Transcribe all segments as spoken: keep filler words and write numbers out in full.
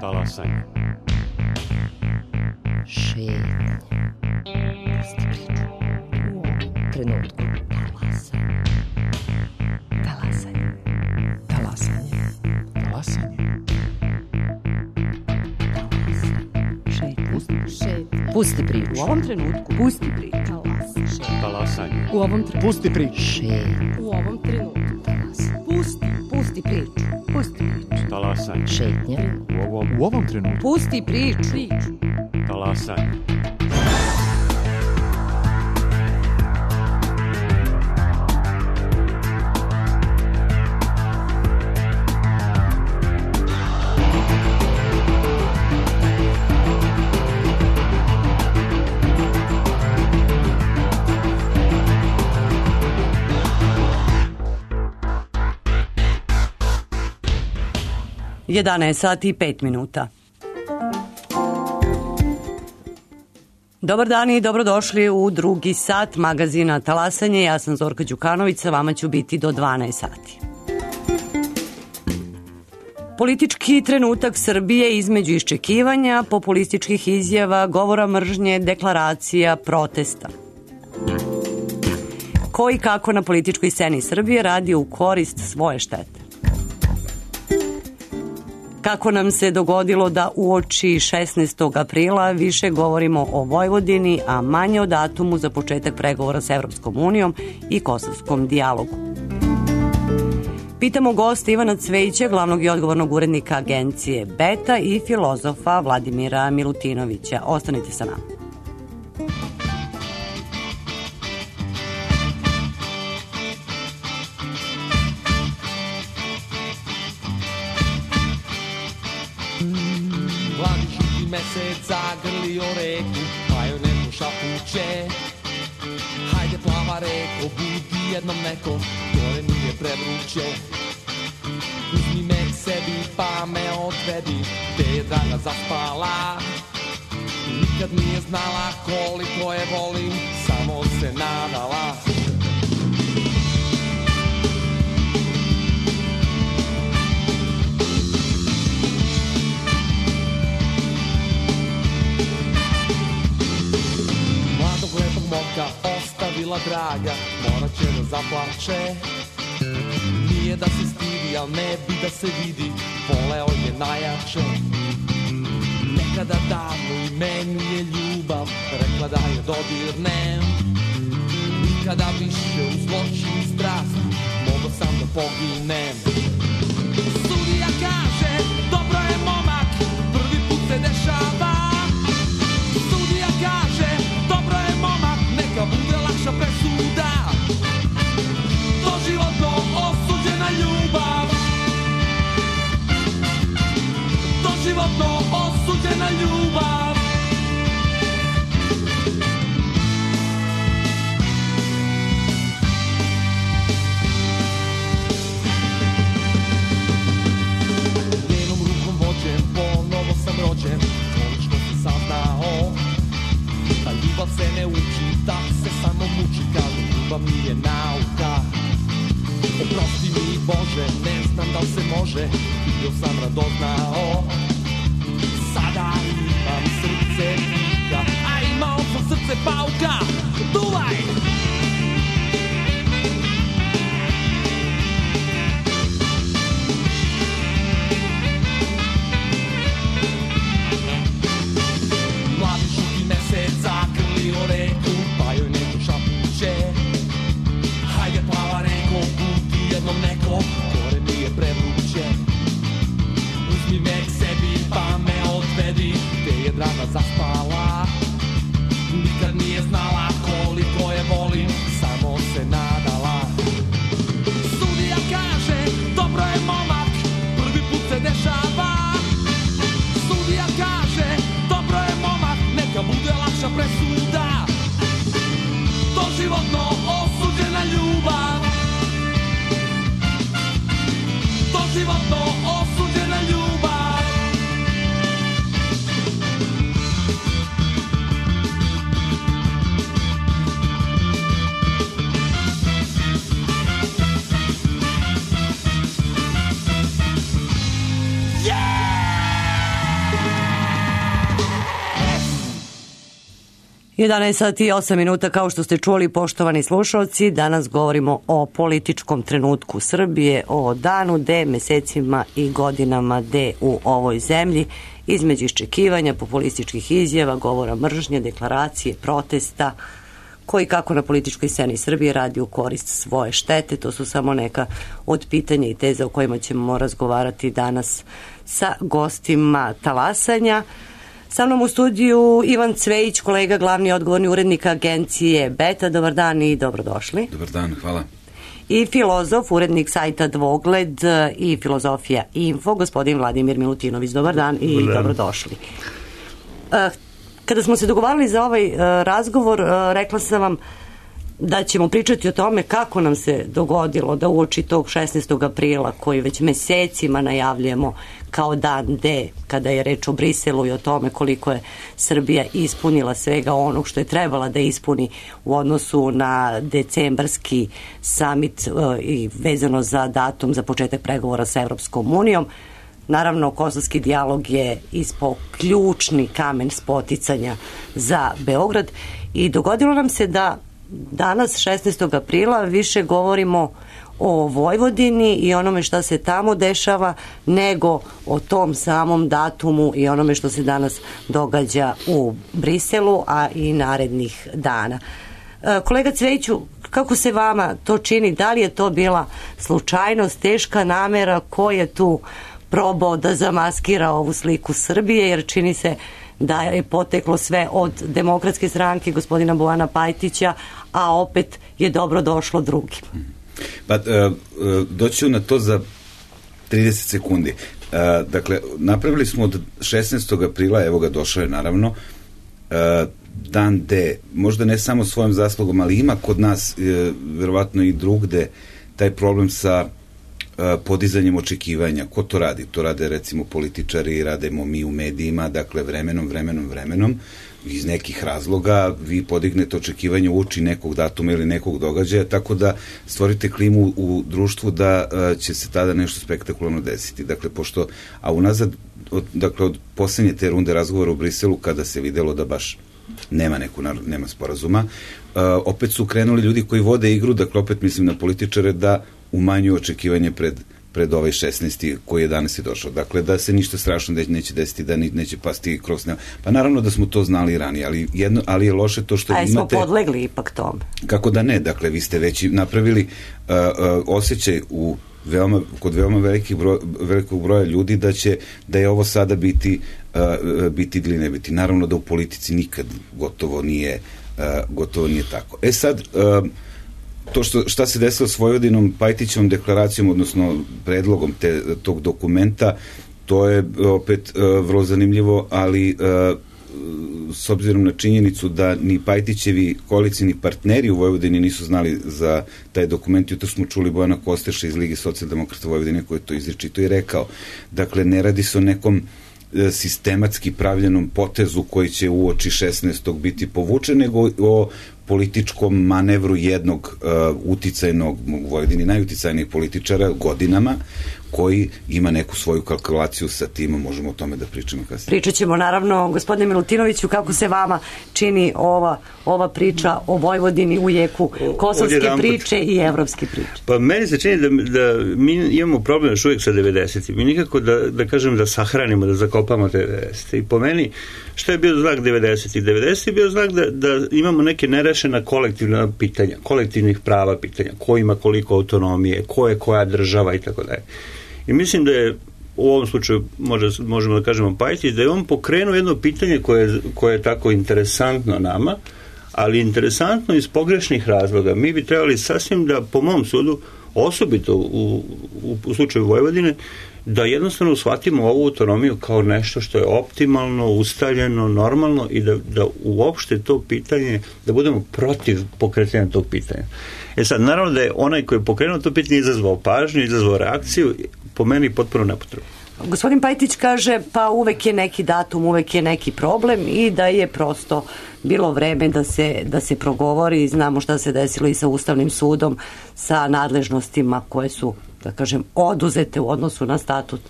Talasanje. Šetnje. Pusti priču. U ovom trenutku. Talasanje. Talasanje. Talasanje. Talasanje. Šetnje. Pusti priču. U ovom trenutku. Pusti priču. Talasanje. U ovom trenutku. Pusti priču. Šetnje. U ovom trenutku. Talasanje. Pusti. Pusti priču. Pusti priču. Talasanje. Šetnje. U ovom, U ovom trenutku. Pusti priču. Priču. talasanje. jedanaest sati i pet minuta. Dobar dan i dobrodošli u drugi sat magazina Talasanje. Ja sam Zorka Đukanović, sa vama ću biti do dvanaest sati. Politički trenutak Srbije između iščekivanja, populističkih izjava, govora mržnje, deklaracija, protesta. Ko i kako na političkoj sceni Srbije radi u korist svoje štete. Kako nam se dogodilo da uoči šesnaestog aprila više govorimo o Vojvodini, a manje o datumu za početak pregovora sa Evropskom unijom i kosovskom dijalogu. Pitamo gosta Ivana Cvejića, glavnog i odgovornog urednika agencije Beta, i filozofa Vladimira Milutinovića. Ostanite sa nama. Mesec zagrlio reku, pa joj neko šapuće. Hajde plava reko, budi jednom neko, gore nije prevruće. Uzmi me k sebi pa me odvedi, gde je draga zaspala. Nikad nije znala koliko je volim, samo se nadala. Moka ostavila draga, morat će da zaplače. Nije da se stidi, al ne bi da se vidi, voleo je najjače. Nekada davno i meni je ljubav rekla da je dodirnem. Nikada više u zločin i strasti mogo sam da poginem. Sudija kaže, dobro je momak, prvi put se dešava. Sudija kaže, dobro je momak, neka bude lakša presuda. Doživotno osuđena ljubav. Doživotno osuđena ljubav. Njenom rukom vođen, ponovo sam rođen, konačno sam saznao da ljubav se ne uči, da se samo muči, kažu ljubav nije nauka. Oprosti mi Bože, ne znam da li se može, bio sam radoznao. Sada imam srce pika, a imao sam srce pauka. Duvaj! Mladi žuti mesec zagrlio reku, pa joj neko šapuće. Hajde plava reko, budi jednom neko, gore mi je prevruće. Uzmi me k sebi pa me odvedi, gde je draga zaspala. Nikad nije znala koliko je vola. jedanaest sati i osam minuta, kao što ste čuli, poštovani slušalci, danas govorimo o političkom trenutku Srbije, o danu D, mesecima i godinama D u ovoj zemlji, između iščekivanja, populističkih izjava, govora mržnje, deklaracije, protesta, koji kako na političkoj sceni Srbije radi u korist svoje štete. To su samo neka od pitanja i teza o kojima ćemo razgovarati danas sa gostima Talasanja. Sa mnom u studiju Ivan Cvejić, kolega, glavni odgovorni urednik agencije Beta. Dobar dan i dobrodošli. Dobar dan, hvala. I filozof, urednik sajta Dvogled i Filozofija Info, gospodin Vladimir Milutinović. Dobar dan i Dobar dan. Dobrodošli. Kada smo se dogovarali za ovaj razgovor, rekla sam vam da ćemo pričati o tome kako nam se dogodilo da uoči tog šesnaestog aprila, koji već mesecima najavljujemo kao dan D, kada je reč o Briselu i o tome koliko je Srbija ispunila svega onog što je trebala da ispuni u odnosu na decembarski samit i vezano za datum za početak pregovora sa Evropskom unijom. Naravno, kosovski dijalog je ispao ključni kamen spoticanja za Beograd i dogodilo nam se da danas, šesnaestog aprila, više govorimo o Vojvodini i onome što se tamo dešava nego o tom samom datumu i onome što se danas događa u Briselu, a i narednih dana. Kolega Cvejiću, kako se vama to čini? Da li je to bila slučajnost, teška namera? Ko je tu probao da zamaskira ovu sliku Srbije, jer čini se da je poteklo sve od Demokratske stranke gospodina Bojana Pajtića, a opet je dobro došlo drugim. Pa, doću na to za trideset sekundi. Dakle, napravili smo od šesnaestog aprila, evo ga došao je naravno, dan D, možda ne samo svojom zaslugom, ali ima kod nas, verovatno i drugde, taj problem sa podizanjem očekivanja. Ko to radi? To rade recimo političari, radimo mi u medijima, dakle vremenom, vremenom, vremenom, iz nekih razloga vi podignete očekivanje uoči nekog datuma ili nekog događaja, tako da stvorite klimu u društvu da će se tada nešto spektakularno desiti. Dakle, pošto, a unazad, od, dakle, od poslednje te runde razgovora u Briselu, kada se videlo da baš nema neku, nema sporazuma, uh, opet su krenuli ljudi koji vode igru, dakle, opet mislim na političare, da umanjuju očekivanje pred, pred ovaj šesnaesti koji je danas i došao. Dakle, da se ništa strašno neće desiti, da neće pasti kroz nema. Pa naravno da smo to znali ranije, ali, jedno, ali je loše to što A imate... A smo podlegli ipak tome? Kako da ne, dakle, vi ste već napravili uh, uh, osjećaj u veoma, kod veoma velikih broj, velikog broja ljudi da će, da je ovo sada biti uh, biti ili ne biti. Naravno da u politici nikad gotovo nije uh, gotovo nije tako. E sad, uh, to što, šta se desilo s Vojvodinom, Pajtićevom deklaracijom, odnosno predlogom te, tog dokumenta, to je opet uh, vrlo zanimljivo, ali uh, s obzirom na činjenicu da ni Pajtićevi koalicijni partneri u Vojvodini nisu znali za taj dokument. Jutro smo čuli Bojana Kosteša iz Lige socijaldemokrata Vojvodine koji je to izričito i rekao. Dakle, ne radi se o nekom sistematski pravljenom potezu koji će uoči šesnaestog biti povučen, nego o političkom manevru jednog uh, uticajnog, u Vojvodini najuticajnijih političara godinama, koji ima neku svoju kalkulaciju sa tim, možemo o tome da pričamo kasnije. Pričat ćemo naravno, gospodine Milutinoviću, kako se vama čini ova, ova priča o Vojvodini u jeku kosovske priče i evropske priče. Pa meni se čini da, da mi imamo problem još uvijek sa devedesetim. Mi nikako da, da kažem da sahranimo, da zakopamo te devedesete. I po meni, šta je bio znak devedesetih? devedesetih je bio znak da, da imamo neke nerešena kolektivna pitanja, kolektivnih prava pitanja, ko ima koliko autonomije, ko je koja država i tako dalje. I mislim da je u ovom slučaju može, možemo da kažemo Pajtić, da je on pokrenuo jedno pitanje koje, koje je tako interesantno nama, ali interesantno iz pogrešnih razloga. Mi bi trebali sasvim da, po mom sudu, osobito u, u, u slučaju Vojvodine, da jednostavno shvatimo ovu autonomiju kao nešto što je optimalno, ustaljeno, normalno i da, da uopšte to pitanje, da budemo protiv pokretanja tog pitanja. E sad, naravno da je onaj koji je pokrenuo to pitanje izazvao pažnju, izazvao reakciju, po meni potpuno nepotrebno. Gospodin Pajtić kaže, pa uvek je neki datum, uvek je neki problem i da je prosto bilo vreme da se, da se progovori. Znamo šta se desilo i sa Ustavnim sudom, sa nadležnostima koje su, da kažem, oduzete u odnosu na statut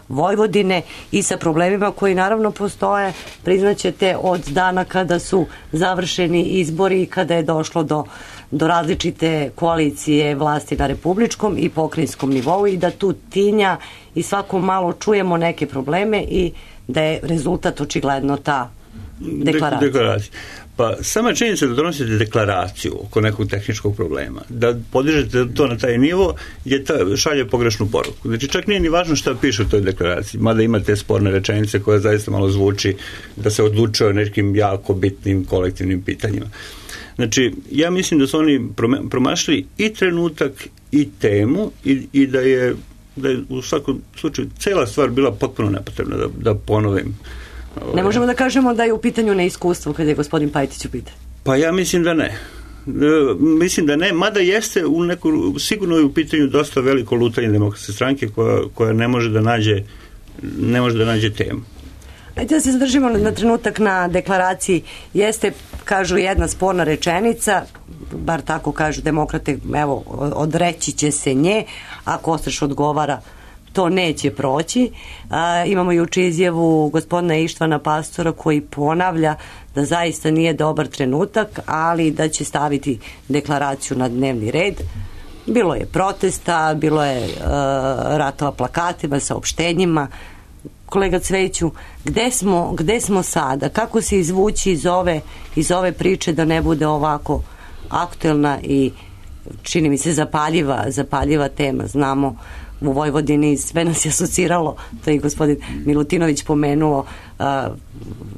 Vojvodine i sa problemima koji naravno postoje, priznaćete, od dana kada su završeni izbori i kada je došlo do, do različite koalicije vlasti na republičkom i pokrajinskom nivou i da tu tinja i svako malo čujemo neke probleme i da je rezultat očigledno ta deklaracija. Deklaracija. Pa sama činjenica da donosite deklaraciju oko nekog tehničkog problema, da podižete to na taj nivo, je ta, šalje pogrešnu poruku. Znači čak nije ni važno šta piše u toj deklaraciji, mada ima te sporne rečenice koja zaista malo zvuči da se odlučuje o nekim jako bitnim kolektivnim pitanjima. Znači, ja mislim da su oni promašili i trenutak i temu i, i da je da je u svakom slučaju cela stvar bila potpuno nepotrebna, da, da ponovim. Ne možemo da kažemo da je u pitanju neiskustvo kada je gospodin Pajtić u pitanju. Pa ja mislim da ne. E, mislim da ne, mada jeste u neku, sigurno je u pitanju dosta veliko lutanje Demokratske stranke koja, koja ne može da nađe ne može da nađe temu. Ajde da se zadržimo na, na trenutak na deklaraciji. Jeste, kažu, jedna sporna rečenica, bar tako kažu demokrate, evo, odreći će se nje, a Kostreš odgovara to neće proći. A, imamo juče izjavu gospodina Ištvana Pastora koji ponavlja da zaista nije dobar trenutak, ali da će staviti deklaraciju na dnevni red. Bilo je protesta, bilo je uh, ratova plakatima, saopštenjima. Kolega Cveću, gde smo, gde smo sada? Kako se izvući iz ove, iz ove priče da ne bude ovako aktuelna i čini mi se zapaljiva, zapaljiva tema? Znamo u Vojvodini sve nas je asociralo, to je i gospodin Milutinović pomenuo, uh,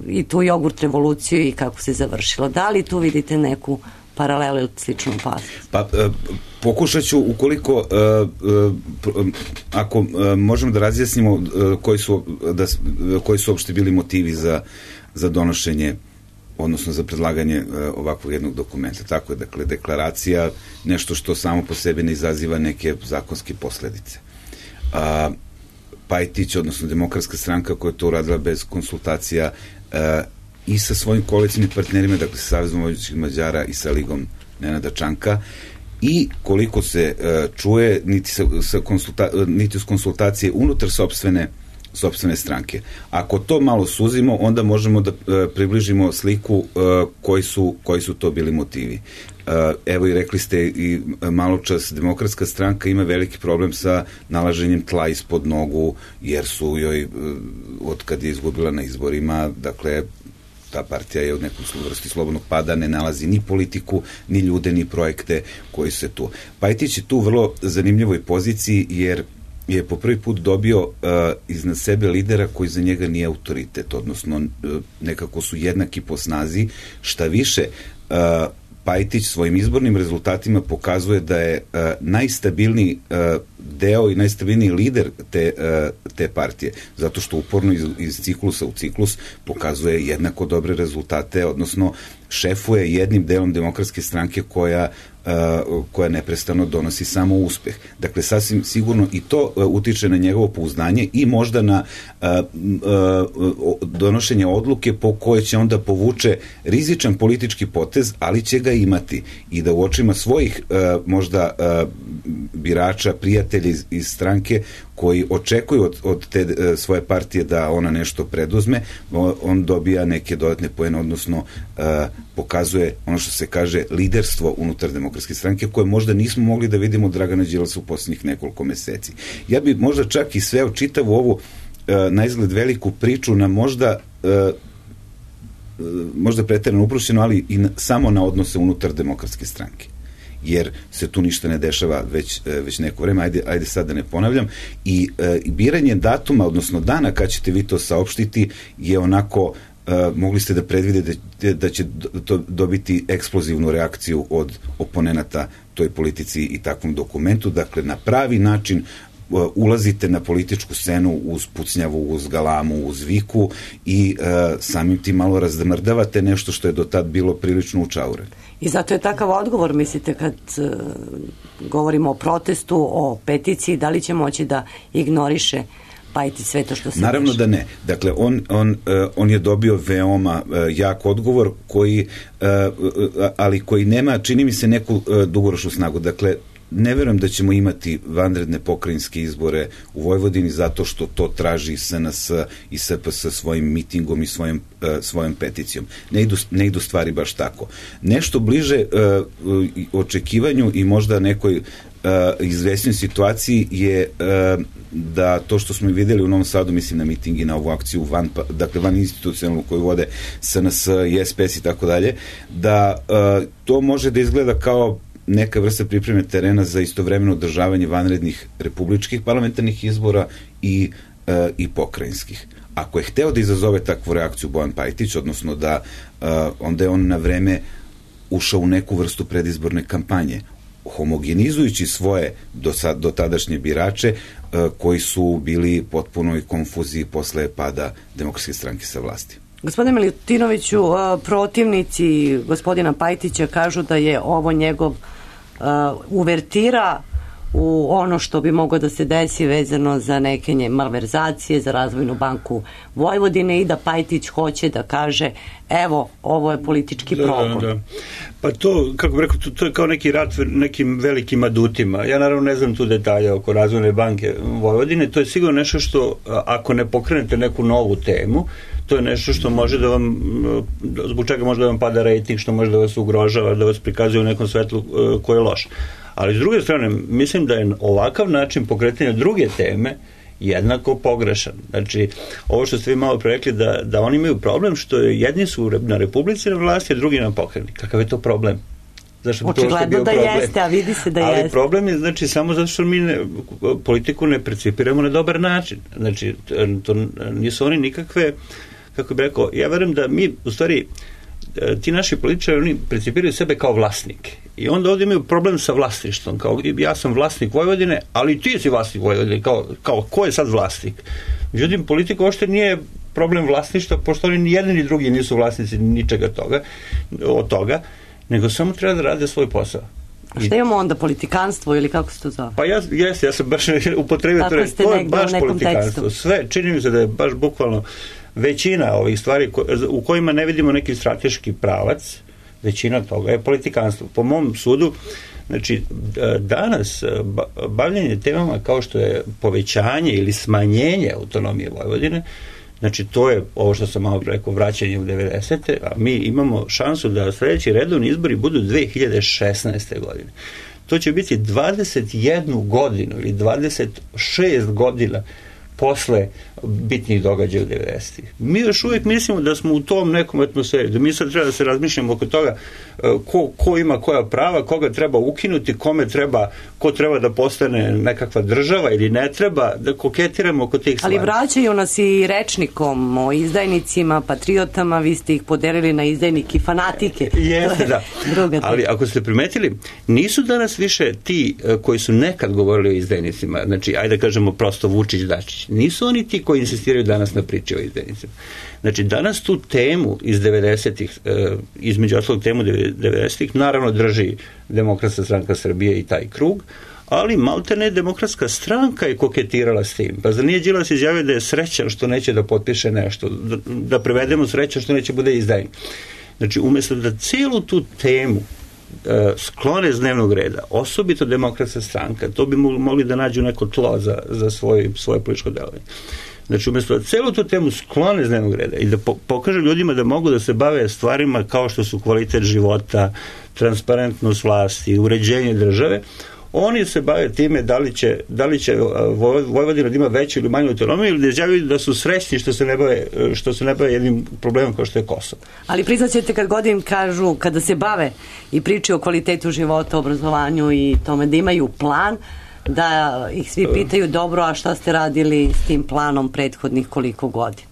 i tu jogurt revoluciju i kako se završilo. Da li tu vidite neku paralelu ili sličnu opasnost? Pa, uh, pokušat ću, ukoliko uh, uh, ako uh, možemo da razjasnimo uh, koji su, da, uh, koji su uopšte bili motivi za, za donošenje, odnosno za predlaganje uh, ovakvog jednog dokumenta. Tako je, dakle, deklaracija, nešto što samo po sebi ne izaziva neke zakonske posledice. A Pajtić, odnosno Demokratska stranka koja je to uradila bez konsultacija uh, i sa svojim koalicijnim partnerima, dakle sa Savezom vojvođanskih Mađara i sa Ligom Nenada Čanka, i koliko se uh, čuje, niti, sa, sa konsulta, niti uz konsultacije unutar sopstvene, sopstvene stranke. Ako to malo suzimo, onda možemo da uh, približimo sliku uh, koji, su, koji su to bili motivi. Uh, evo i rekli ste i malo čas, Demokratska stranka ima veliki problem sa nalaženjem tla ispod nogu, jer su joj, uh, od kad je izgubila na izborima, dakle, ta partija je u nekom vrsti slobodnog pada, ne nalazi ni politiku, ni ljude, ni projekte koji se tu. Pajtić je tu vrlo zanimljivoj poziciji, jer je po prvi put dobio uh, iznad sebe lidera koji za njega nije autoritet, odnosno uh, nekako su jednaki po snazi, šta više, uh, Pajtić svojim izbornim rezultatima pokazuje da je uh, najstabilniji uh, deo i najstabilniji lider te, uh, te partije, zato što uporno iz, iz ciklusa u ciklus pokazuje jednako dobre rezultate, odnosno šefuje jednim delom Demokratske stranke koja Uh, koja neprestano donosi samo uspeh. Dakle, sasvim sigurno i to uh, utiče na njegovo pouzdanje i možda na uh, uh, donošenje odluke po kojoj će onda povuče rizičan politički potez, ali će ga imati i da u očima svojih uh, možda uh, birača, prijatelja iz, iz stranke koji očekuju od, od te uh, svoje partije da ona nešto preduzme, on dobija neke dodatne poene, odnosno uh, pokazuje ono što se kaže liderstvo unutar Demokratske stranke, koje možda nismo mogli da vidimo od Dragana Đilasa u posljednjih nekoliko meseci. Ja bi možda čak i sveo čitavu ovu uh, na izgled veliku priču na možda uh, možda preterano uprošćeno, ali i na, samo na odnose unutar Demokratske stranke. Jer se tu ništa ne dešava već, već neko vreme, ajde, ajde sad da ne ponavljam, i e, biranje datuma, odnosno dana kad ćete vi to saopštiti, je onako, e, mogli ste da predvidite da, da će to dobiti eksplozivnu reakciju od oponenata toj politici i takvom dokumentu, dakle na pravi način ulazite na političku scenu uz pucnjavu, uz galamu, uz viku i e, samim tim malo razdmrdavate nešto što je do tad bilo prilično učaureno. I zato je takav odgovor, mislite, kad uh, govorimo o protestu, o peticiji, da li će moći da ignoriše Pajtić sve to što se Naravno dešava? da ne. Dakle, on, on, uh, on je dobio veoma uh, jak odgovor, koji, uh, uh, ali koji nema, čini mi se, neku uh, dugoročnu snagu. Dakle, ne verujem da ćemo imati vanredne pokrajinske izbore u Vojvodini zato što to traži S N S i S P S svojim mitingom i svojim, uh, svojom peticijom. Ne idu, ne idu stvari baš tako. Nešto bliže uh, očekivanju i možda nekoj uh, izvesnoj situaciji je uh, da to što smo videli u Novom Sadu, mislim na miting i na ovu akciju van, dakle van institucionalnu koju vode S N S i S P S i tako dalje, da uh, to može da izgleda kao neka vrsta pripreme terena za istovremeno održavanje vanrednih republičkih parlamentarnih izbora i, uh, i pokrajinskih. Ako je hteo da izazove takvu reakciju Bojan Pajtić, odnosno da uh, onda je on na vreme ušao u neku vrstu predizborne kampanje, homogenizujući svoje do, sad, do tadašnje birače uh, koji su bili potpunoj konfuziji posle pada Demokratske stranke sa vlasti. Gospodine Milutinoviću, uh, protivnici gospodina Pajtića kažu da je ovo njegov uh, uvertira u ono što bi moglo da se desi vezano za neke malverzacije, za Razvojnu banku Vojvodine i da Pajtić hoće da kaže evo, ovo je politički progon. Da, da. Pa to, kako bih rekao, to, to je kao neki rat nekim velikim adutima. Ja naravno ne znam tu detalje oko Razvojne banke Vojvodine. To je sigurno nešto što, ako ne pokrenete neku novu temu, to je nešto što može da vam, zbog čega može da vam pada rejting, što može da vas ugrožava, da vas prikazuje u nekom svetlu koje je loše. Ali s druge strane, mislim da je ovakav način pokretanja druge teme jednako pogrešan. Znači, ovo što ste vi malo prerekli, da, da oni imaju problem što jedni su na Republici na vlasti, a drugi na pokrajini. Kakav je to problem? Zašto očigledno da problem? Jeste, a vidi se da Ali jeste. Ali problem je, znači, samo zato što mi ne, politiku ne percipiramo na dobar način. Znači, to nisu oni nikakve, kako bih rekao, ja verujem da mi, u stvari, ti naši političari, oni percipiraju sebe kao vlasnike. I onda ovdje imaju problem sa vlasništvom. Kao, ja sam vlasnik Vojvodine, ali ti si vlasnik Vojvodine. Kao, kao ko je sad vlasnik? Međutim, politika uopšte nije problem vlasništva, pošto oni ni jedni ni drugi nisu vlasnici ničega toga, od toga, nego samo treba da rade svoj posao. A šta imamo onda, politikanstvo ili kako se to zove? Pa ja, jes, ja sam baš upotrebio to reći. To je baš politikanstvo. Tekstu. Sve, čini mi se da je baš bukvalno većina ovih stvari ko, u kojima ne vidimo neki strateški pravac, većina toga je politikanstvo. Po mom sudu, znači, danas bavljenje temama kao što je povećanje ili smanjenje autonomije Vojvodine, znači to je ovo što sam malo rekao, vraćanje u devedesete, a mi imamo šansu da sledeći redovni izbori budu dve hiljade šesnaeste. godine. To će biti dvadeset jednu godinu ili dvadeset šest godina posle bitnih događaja u devedesetih. Mi još uvijek mislimo da smo u tom nekom atmosferi, da mi sad treba da se razmišljamo oko toga ko, ko ima koja prava, koga treba ukinuti, kome treba, ko treba da postane nekakva država ili ne treba, da koketiramo oko tih stvari. Ali vraćaju nas i rečnikom o izdajnicima, patriotama, vi ste ih podelili na izdajnike i fanatike. Jeste, da. Ali ako ste primetili, nisu danas više ti koji su nekad govorili o izdajnicima, znači, ajde da kažemo prosto Vučić, Dačić, nisu oni ti koji insistiraju danas na priči o izdajnicima. Znači, danas tu temu iz devedesetih, između ostalog temu devedesetih, naravno drži Demokratska stranka Srbije i taj krug, ali maltene Demokratska stranka je koketirala s tim. Pa zar nije Đilas izjavio da je srećan što neće da potpiše nešto, da, da prevedemo srećan što neće bude izdajnik. Znači, umjesto da cijelu tu temu sklone z dnevnog reda, osobito Demokratska stranka, to bi mogli da nađu neko tlo za, za svoj, svoje političko delovanje. Znači, umjesto da celu tu temu sklone z dnevnog reda i da po, pokažu ljudima da mogu da se bave stvarima kao što su kvalitet života, transparentnost vlasti, uređenje države, oni se bave time da li će, da li će Vojvodina da ima veću ili manju autonomiju ili da izjavaju da su srećni što se ne bave, što se ne bave jednim problemom kao što je Kosovo. Ali priznaćete kad god im kažu, kada se bave i pričaju o kvalitetu života, obrazovanju i tome da imaju plan, da ih svi pitaju dobro, a šta ste radili s tim planom prethodnih koliko godina?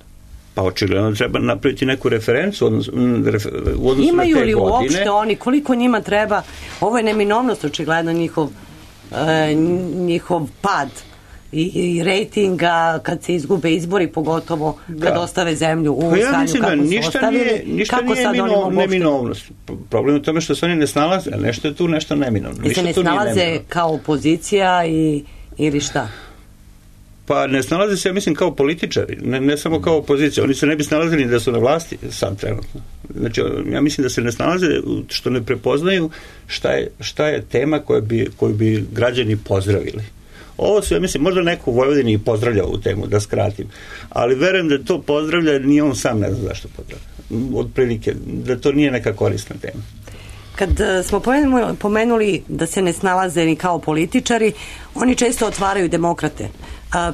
Pa očigledno treba napraviti neku referencu odnos, refer, u odnosu imaju na te li godine. Uopšte oni, koliko njima treba, ovo je neminovnost očigledno njihov, e, njihov pad i, i rejtinga kad se izgube izbori, pogotovo kad da. ostave zemlju u pa ja stanju mislim, kako ništa su ostavili. Nije, ništa kako nije mino, neminovnost. Problem je u tome što se oni ne snalaze, ali nešto je tu nešto neminovno. I se ne snalaze kao opozicija i, ili šta? Pa ne snalaze se, ja mislim, kao političari, ne, ne samo kao opozicija. Oni se ne bi snalazili da su na vlasti sad trenutno. Znači, ja mislim da se ne snalaze što ne prepoznaju šta je, šta je tema koju bi, koju bi građani pozdravili. Ovo su, ja mislim, možda neko u Vojvodini i pozdravlja ovu temu, da skratim. Ali verujem da to pozdravlja, nije on sam ne zna zašto pozdravlja. Od prilike, da to nije neka korisna tema. Kad smo pomenuli da se ne snalaze ni kao političari, oni često otvaraju demokrate.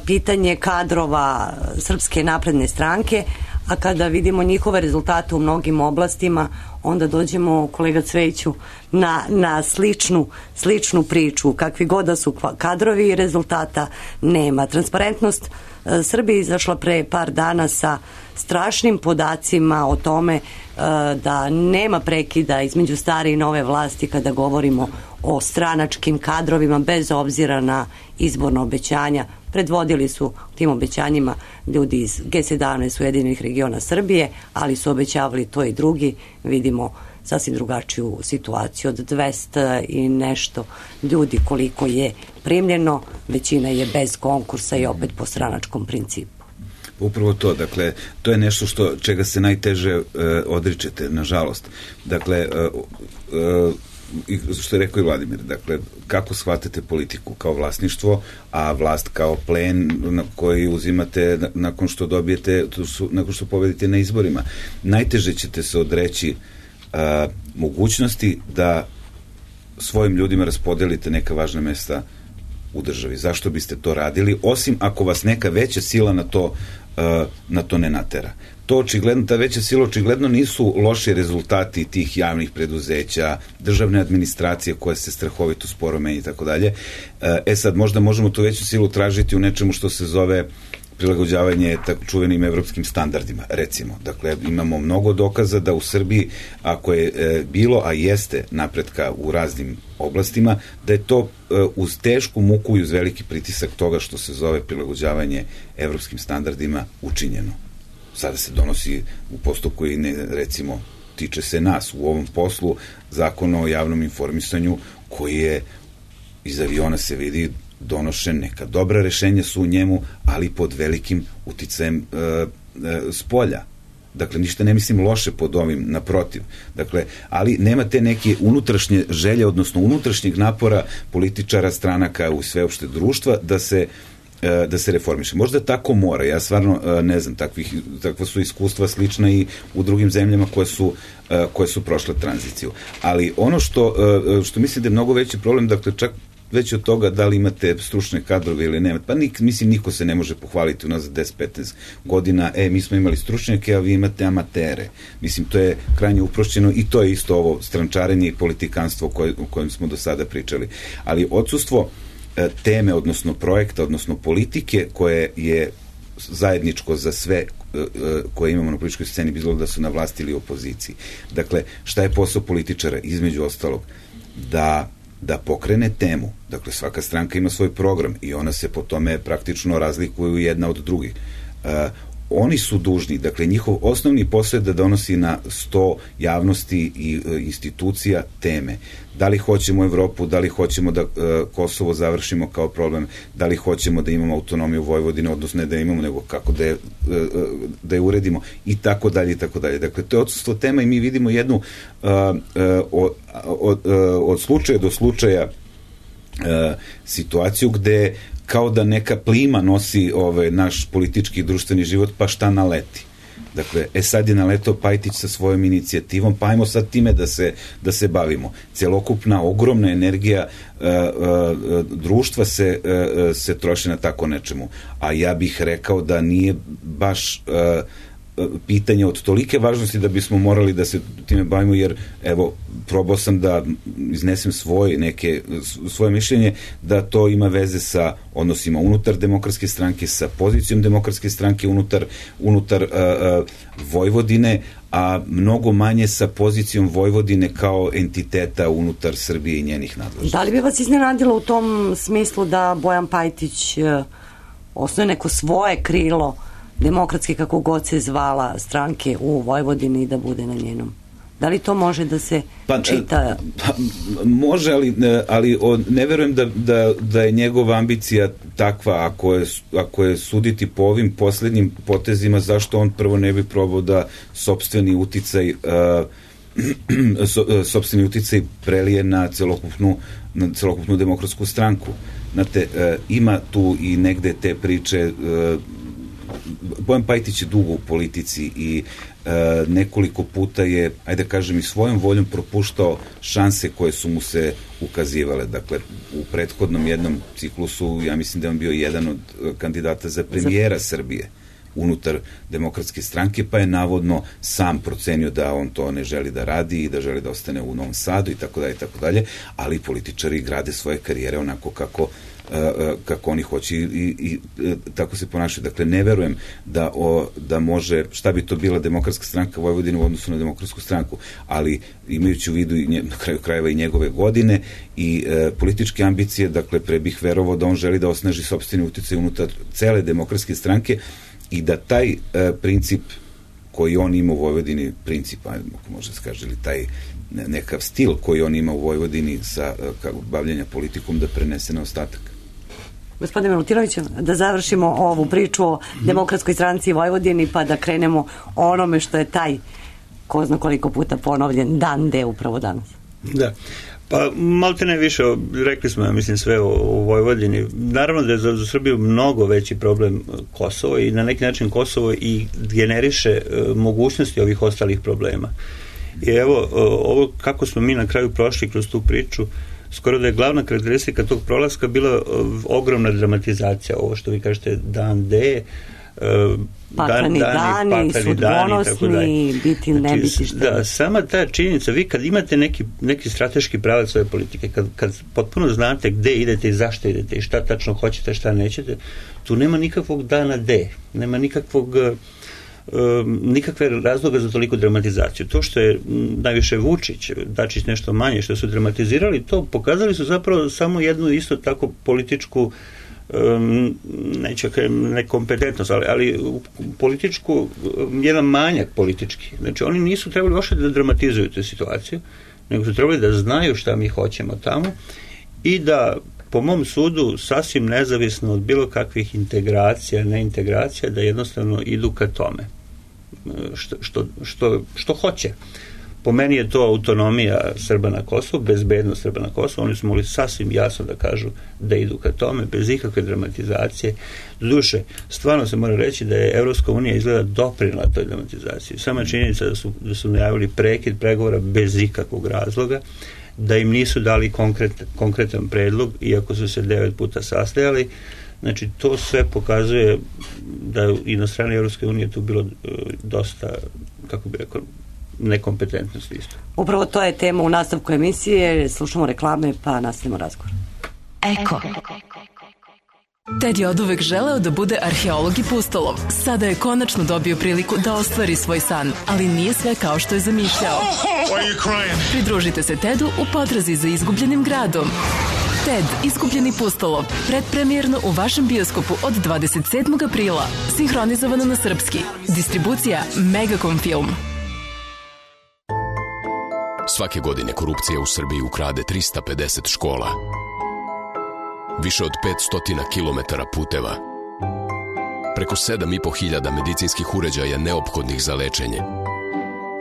Pitanje kadrova Srpske napredne stranke, a kada vidimo njihove rezultate u mnogim oblastima, onda dođemo, kolega Cvejiću, na, na sličnu, sličnu priču. Kakvi god da su kadrovi i rezultata nema. Transparentnost Srbija izašla pre par dana sa strašnim podacima o tome da nema prekida između stare i nove vlasti kada govorimo o stranačkim kadrovima bez obzira na izborna obećanja. Predvodili su tim obećanjima ljudi iz G sedamnaest Ujedinjenih regiona Srbije, ali su obećavali to i drugi. Vidimo sasvim drugačiju situaciju od dvesta i nešto ljudi koliko je primljeno, većina je bez konkursa i opet po stranačkom principu. Upravo to, dakle, to je nešto što, čega se najteže e, odričete, nažalost. Dakle, e, e, što je rekao i Vladimir, dakle, kako shvatate politiku kao vlasništvo, a vlast kao plen na koji uzimate nakon što dobijete, nakon što pobedite na izborima. Najteže ćete se odreći a, mogućnosti da svojim ljudima raspodelite neka važna mesta u državi. Zašto biste to radili? Osim ako vas neka veća sila na to, a, na to ne natera. To očigledno, ta veća sila očigledno nisu loši rezultati tih javnih preduzeća, državne administracije koje se strahovito sporo menja i tako dalje. E sad, možda možemo tu veću silu tražiti u nečemu što se zove prilagođavanje tako čuvenim evropskim standardima, recimo. Dakle, imamo mnogo dokaza da u Srbiji, ako je e, bilo, a jeste napretka u raznim oblastima, da je to e, uz tešku muku i uz veliki pritisak toga što se zove prilagođavanje evropskim standardima učinjeno. Sada se donosi u postupku i ne, recimo, tiče se nas u ovom poslu Zakon o javnom informisanju koji je iz aviona se vidi donošen, neka dobra rešenja su u njemu, ali pod velikim uticajem e, e, spolja. Dakle, ništa ne mislim loše pod ovim, naprotiv. Dakle, ali nema te neke unutrašnje želje, odnosno unutrašnjeg napora političara, stranaka u sveopšte društva da se da se reformiše. Možda tako mora, ja stvarno ne znam, takvih, takva su iskustva slična i u drugim zemljama koje su, koje su prošle tranziciju. Ali ono što, što mislim da je mnogo veći problem, dakle čak već od toga da li imate stručne kadrove ili nemate, pa nik, mislim niko se ne može pohvaliti u nas za deset do petnaest godina, e, mi smo imali stručnjake, a vi imate amatere. Mislim, to je krajnje uprošćeno i to je isto ovo strančarenje i politikanstvo koje, o kojem smo do sada pričali. Ali odsustvo teme, odnosno projekta, odnosno politike koje je zajedničko za sve koje imamo na političkoj sceni, bilo da su na vlasti ili opoziciji. Dakle, šta je posao političara, između ostalog, da, da pokrene temu. Dakle, svaka stranka ima svoj program i ona se po tome praktično razlikuju jedna od drugih. Uh, oni su dužni, dakle, njihov osnovni posao je da donosi na sto javnosti i e, institucija teme. Da li hoćemo Evropu, da li hoćemo da e, Kosovo završimo kao problem, da li hoćemo da imamo autonomiju Vojvodine, odnosno ne da imamo, nego kako da je, e, da je uredimo i tako dalje i tako dalje. Dakle, to je odsustvo tema i mi vidimo jednu e, e, od, od, od slučaja do slučaja e, situaciju gde kao da neka plima nosi ovaj, naš politički i društveni život, pa šta naleti. Dakle, e sad je naletao Pajtić sa svojom inicijativom, pa ajmo sad time da se, da se bavimo. Celokupna, ogromna energija uh, uh, društva se, uh, se troši na tako nečemu. A ja bih rekao da nije baš uh, pitanje od tolike važnosti da bismo morali da se time bavimo, jer evo, probao sam da iznesem svoje neke, svoje mišljenje da to ima veze sa odnosima unutar demokratske stranke, sa pozicijom demokratske stranke unutar, unutar uh, uh, Vojvodine, a mnogo manje sa pozicijom Vojvodine kao entiteta unutar Srbije i njenih nadležnosti. Da li bi vas iznenadilo u tom smislu da Bojan Pajtić uh, osnoje neko svoje krilo demokratske, kako god se zvala, stranke u Vojvodini i da bude na njenom Da li to može da se pa, čita? Pa, može, ali, ali on, ne verujem da, da, da je njegova ambicija takva, ako je, ako je suditi po ovim poslednjim potezima, zašto on prvo ne bi probao da sopstveni uticaj uh, so, sopstveni uticaj prelije na celokupnu, na celokupnu demokratsku stranku. Znate, uh, ima tu i negde te priče, uh, Bojan Pajtić je dugo u politici i e, nekoliko puta je, ajde da kažem, i svojom voljom propuštao šanse koje su mu se ukazivale. Dakle, u prethodnom jednom ciklusu, ja mislim da je on bio jedan od kandidata za premijera Srbije unutar demokratske stranke, pa je navodno sam procenio da on to ne želi da radi i da želi da ostane u Novom Sadu i tako dalje i tako dalje, ali političari grade svoje karijere onako kako kako oni hoće i, i, i tako se ponašaju. Dakle, ne verujem da, o, da može, šta bi to bila demokratska stranka Vojvodine u odnosu na demokratsku stranku, ali imajući u vidu i nje, na kraju krajeva i njegove godine i e, političke ambicije, dakle, pre bih verovao da on želi da osnaži sopstveni uticaj unutar cele demokratske stranke i da taj e, princip koji on ima u Vojvodini, princip, ako može se kaže, ili taj nekav stil koji on ima u Vojvodini sa bavljenja politikom da prenese na ostatak. Gospodine Milutinoviću, da završimo ovu priču o Demokratskoj stranci Vojvodini pa da krenemo o onome što je taj, ko zna koliko puta ponovljen, dan D upravo danas. Da. Pa malte ne više, rekli smo, ja mislim, sve o, o Vojvodini. Naravno da je za, za Srbiju mnogo veći problem Kosovo i na neki način Kosovo i generiše e, mogućnosti ovih ostalih problema. I evo, ovo kako smo mi na kraju prošli kroz tu priču, skoro da je glavna karakteristika tog prolaska bila ogromna dramatizacija, ovo što vi kažete dan D, pakleni dani, dani sudbonosni, biti ne znači, biti šta. Da, sama ta činjenica, vi kad imate neki, neki strateški pravac svoje politike, kad, kad potpuno znate gde idete i zašto idete i šta tačno hoćete, šta nećete, tu nema nikakvog dana D, nema nikakvog nikakve razloga za toliku dramatizaciju. To što je najviše Vučić, Dačić nešto manje, što su dramatizirali, to pokazali su zapravo samo jednu isto tako političku um, neću kajem nekompetentnost, ali, ali političku, jedan manjak politički. Znači oni nisu trebali uopšte da dramatizuju tu situaciju, nego su trebali da znaju šta mi hoćemo tamo i da po mom sudu sasvim nezavisno od bilo kakvih integracija, neintegracija, da jednostavno idu ka tome što, što, što, što hoće. Po meni je to autonomija Srba na Kosovu, bezbednost Srba na Kosovu, oni su mogli sasvim jasno da kažu da idu ka tome, bez ikakve dramatizacije. Duše, stvarno se mora reći da je Evropska unija izgleda doprinela toj dramatizaciji. Sama činjenica da su, da su najavili prekid pregovora bez ikakvog razloga, da im nisu dali konkret, konkretan predlog, iako su se devet puta sastajali. Znači, to sve pokazuje da i na strani Evropske unije tu bilo uh, dosta, kako bi rekao, nekompetentnosti isto. Upravo to je tema u nastavku emisije, slušamo reklame pa nastavimo razgovor. Eko. Ted je oduvek želeo da bude arheolog i pustolov. Sada je konačno dobio priliku da ostvari svoj san, ali nije sve kao što je zamišljao. Pridružite se Tedu u potrazi za izgubljenim gradom. Ted, izgubljeni pustolov, predpremijerno u vašem bioskopu od dvadeset sedmog aprila. Sinhronizovano na srpski. Distribucija Megacom Film. Svake godine korupcija u Srbiji ukrade trista pedeset škola. Više od petsto kilometara puteva. Preko sedam i po hiljada medicinskih uređaja neophodnih za lečenje.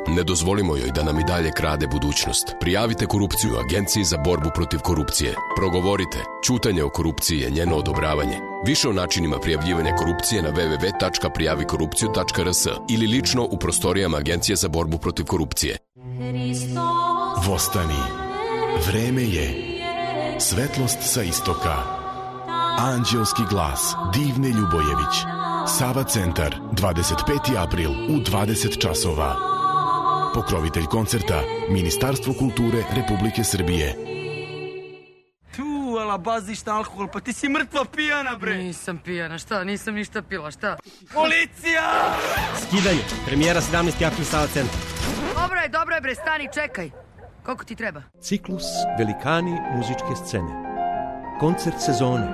Ne dozvolimo joj da nam i dalje krade budućnost. Prijavite korupciju Agenciji za borbu protiv korupcije. Progovorite. Ćutanje o korupciji je njeno odobravanje. Više o načinima prijavljivanja korupcije na w w w tačka prijavi korupciju tačka r s ili lično u prostorijama Agencije za borbu protiv korupcije. Vostani. Vreme je. Svetlost sa istoka. Anđelski glas Divne Ljubojević. Sava centar, dvadeset peti april u dvadeset časova. Pokrovitelj koncerta Ministarstvo kulture Republike Srbije. Tu, ala bazišta alkohol, pa ti si mrtva pijana, bre. Nisam pijana, šta? Nisam ništa pila, šta? Policija! Skidanje, premijera sedamnaesti april, Sava centar. Dobro je, dobro je, bre, stani, čekaj. Koliko ti treba? Ciklus Velikani muzičke scene. Koncert sezone.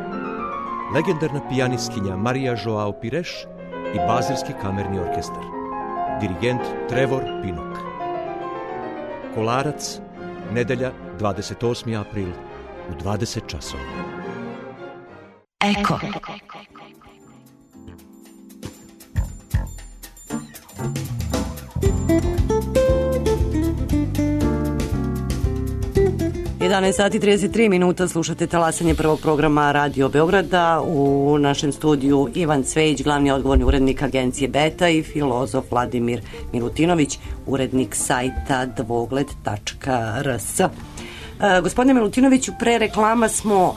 Legendarna pijanistkinja Marija Joao Pires i Bazilski kamerni orkestar. Dirigent Trevor Pinnock. Kolarac, nedelja dvadeset osmi april u dvadeset časova. Eko. jedanaest sati i trideset tri minuta, slušate talasanje prvog programa Radio Beograda. U našem studiju Ivan Cvejić, glavni odgovorni urednik agencije Beta, i filozof Vladimir Milutinović, urednik sajta dvogled tačka r s. E, gospodine Milutinoviću, pre reklama smo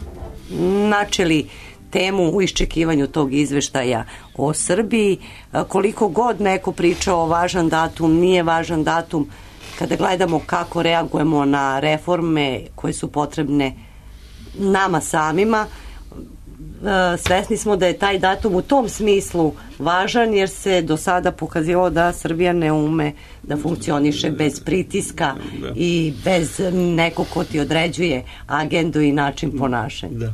načeli temu u iščekivanju tog izveštaja o Srbiji. E, koliko god neko pričao važan datum, nije važan datum, kada gledamo kako reagujemo na reforme koje su potrebne nama samima, svesni smo da je taj datum u tom smislu važan, jer se do sada pokazalo da Srbija ne ume da funkcioniše bez pritiska da. i bez nekog ko ti određuje agendu i način ponašanja. Da.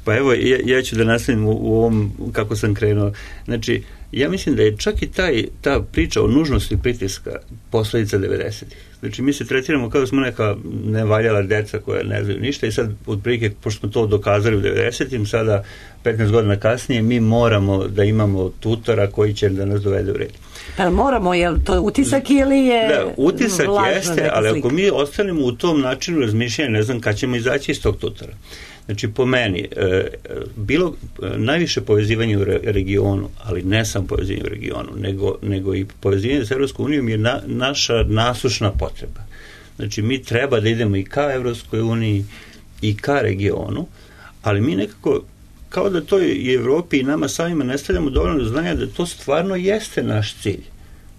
Pa evo, ja, ja ću da nastavim u, u ovom kako sam krenuo. Znači, ja mislim da je čak i taj, ta priča o nužnosti pritiska posledica devedesetih. Znači, mi se tretiramo kao da smo neka nevaljala deca koja ne znaju ništa i sad, otprilike, pošto smo to dokazali u devedesetim, sada, petnaest godina kasnije, mi moramo da imamo tutora koji će da nas dovede u red. Pa moramo, je li to utisak ili je da, utisak jeste, ali slika? Ako mi ostanemo u tom načinu razmišljanja, ne znam kad ćemo izaći iz tog tutora. Znači, po meni, e, bilo e, najviše povezivanje u re, regionu, ali ne samo povezivanje u regionu, nego, nego i povezivanje sa Evropskom unijom je na, naša nasušna potreba. Znači, mi treba da idemo i ka Evropskoj uniji i ka regionu, ali mi nekako, kao da to i Evropi i nama samima ne stavljamo dovoljno znanja da to stvarno jeste naš cilj.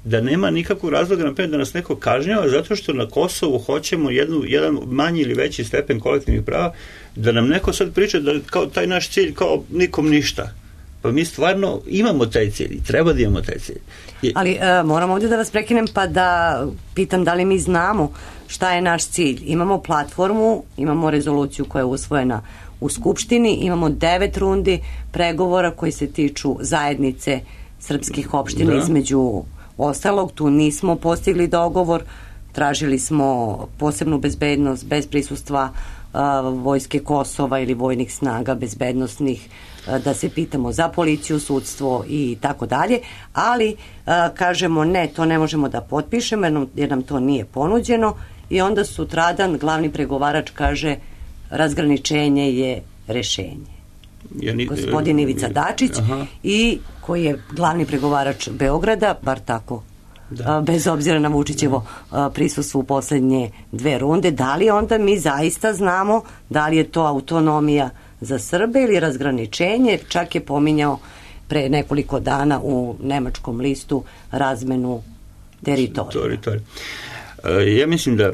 Da nema nikakvog razloga, naprimjer, da nas neko kažnjava zato što na Kosovu hoćemo jednu, jedan manji ili veći stepen kolektivnih prava, da nam neko sad priča da kao taj naš cilj kao nikom ništa. Pa mi stvarno imamo taj cilj i treba da imamo taj cilj. I... Ali e, moram ovdje da vas prekinem pa da pitam da li mi znamo šta je naš cilj. Imamo platformu, imamo rezoluciju koja je usvojena u Skupštini, imamo devet rundi pregovora koji se tiču zajednice srpskih opština, da. Između ostalog, tu nismo postigli dogovor, tražili smo posebnu bezbednost bez prisustva a, vojske Kosova ili vojnih snaga bezbednostnih, a, da se pitamo za policiju, sudstvo i tako dalje, ali a, kažemo ne, to ne možemo da potpišemo jer nam, jer nam to nije ponuđeno, i onda sutradan glavni pregovarač kaže razgraničenje je rešenje. Ja ni, gospodin Ivica Dačić, aha. i koji je glavni pregovarač Beograda, bar tako, da. Bez obzira na Vučićevo prisustvo u poslednje dve runde, da li onda mi zaista znamo da li je to autonomija za Srbe ili razgraničenje? Čak je pominjao pre nekoliko dana u nemačkom listu razmenu teritorija. Ja mislim da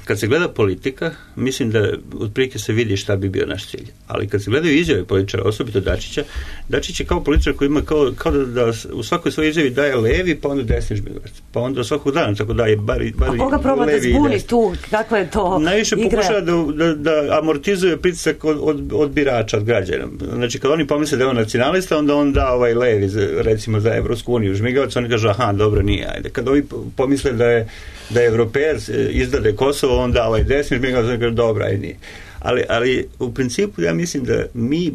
kad se gleda politika, mislim da otprilike se vidi šta bi bio naš cilj. Ali kad se gledaju izjave političara, osobito Dačića, Dačić je kao političar koji ima kao, kao da, da u svakoj svojoj izjavi daje levi, pa onda desni žmigavac. Pa onda svakog dana tako daje bar, bar a koga proba da zbuni tu? Kakva je to najviše igra? Pokušava da, da, da amortizuje pritisak od, od, od birača, od građana. Znači, kad oni pomisle da je on nacionalista, onda on da ovaj levi, recimo za Evropsku uniju žmigavac, oni kažu, aha, dobro, nije, ajde. Kad ovi pomisle da je da je Evropejac izdade Kosovo, onda ovaj desni žmigavac, oni kažu, dobro, ajde, nije. Ali, ali u principu ja mislim da mi,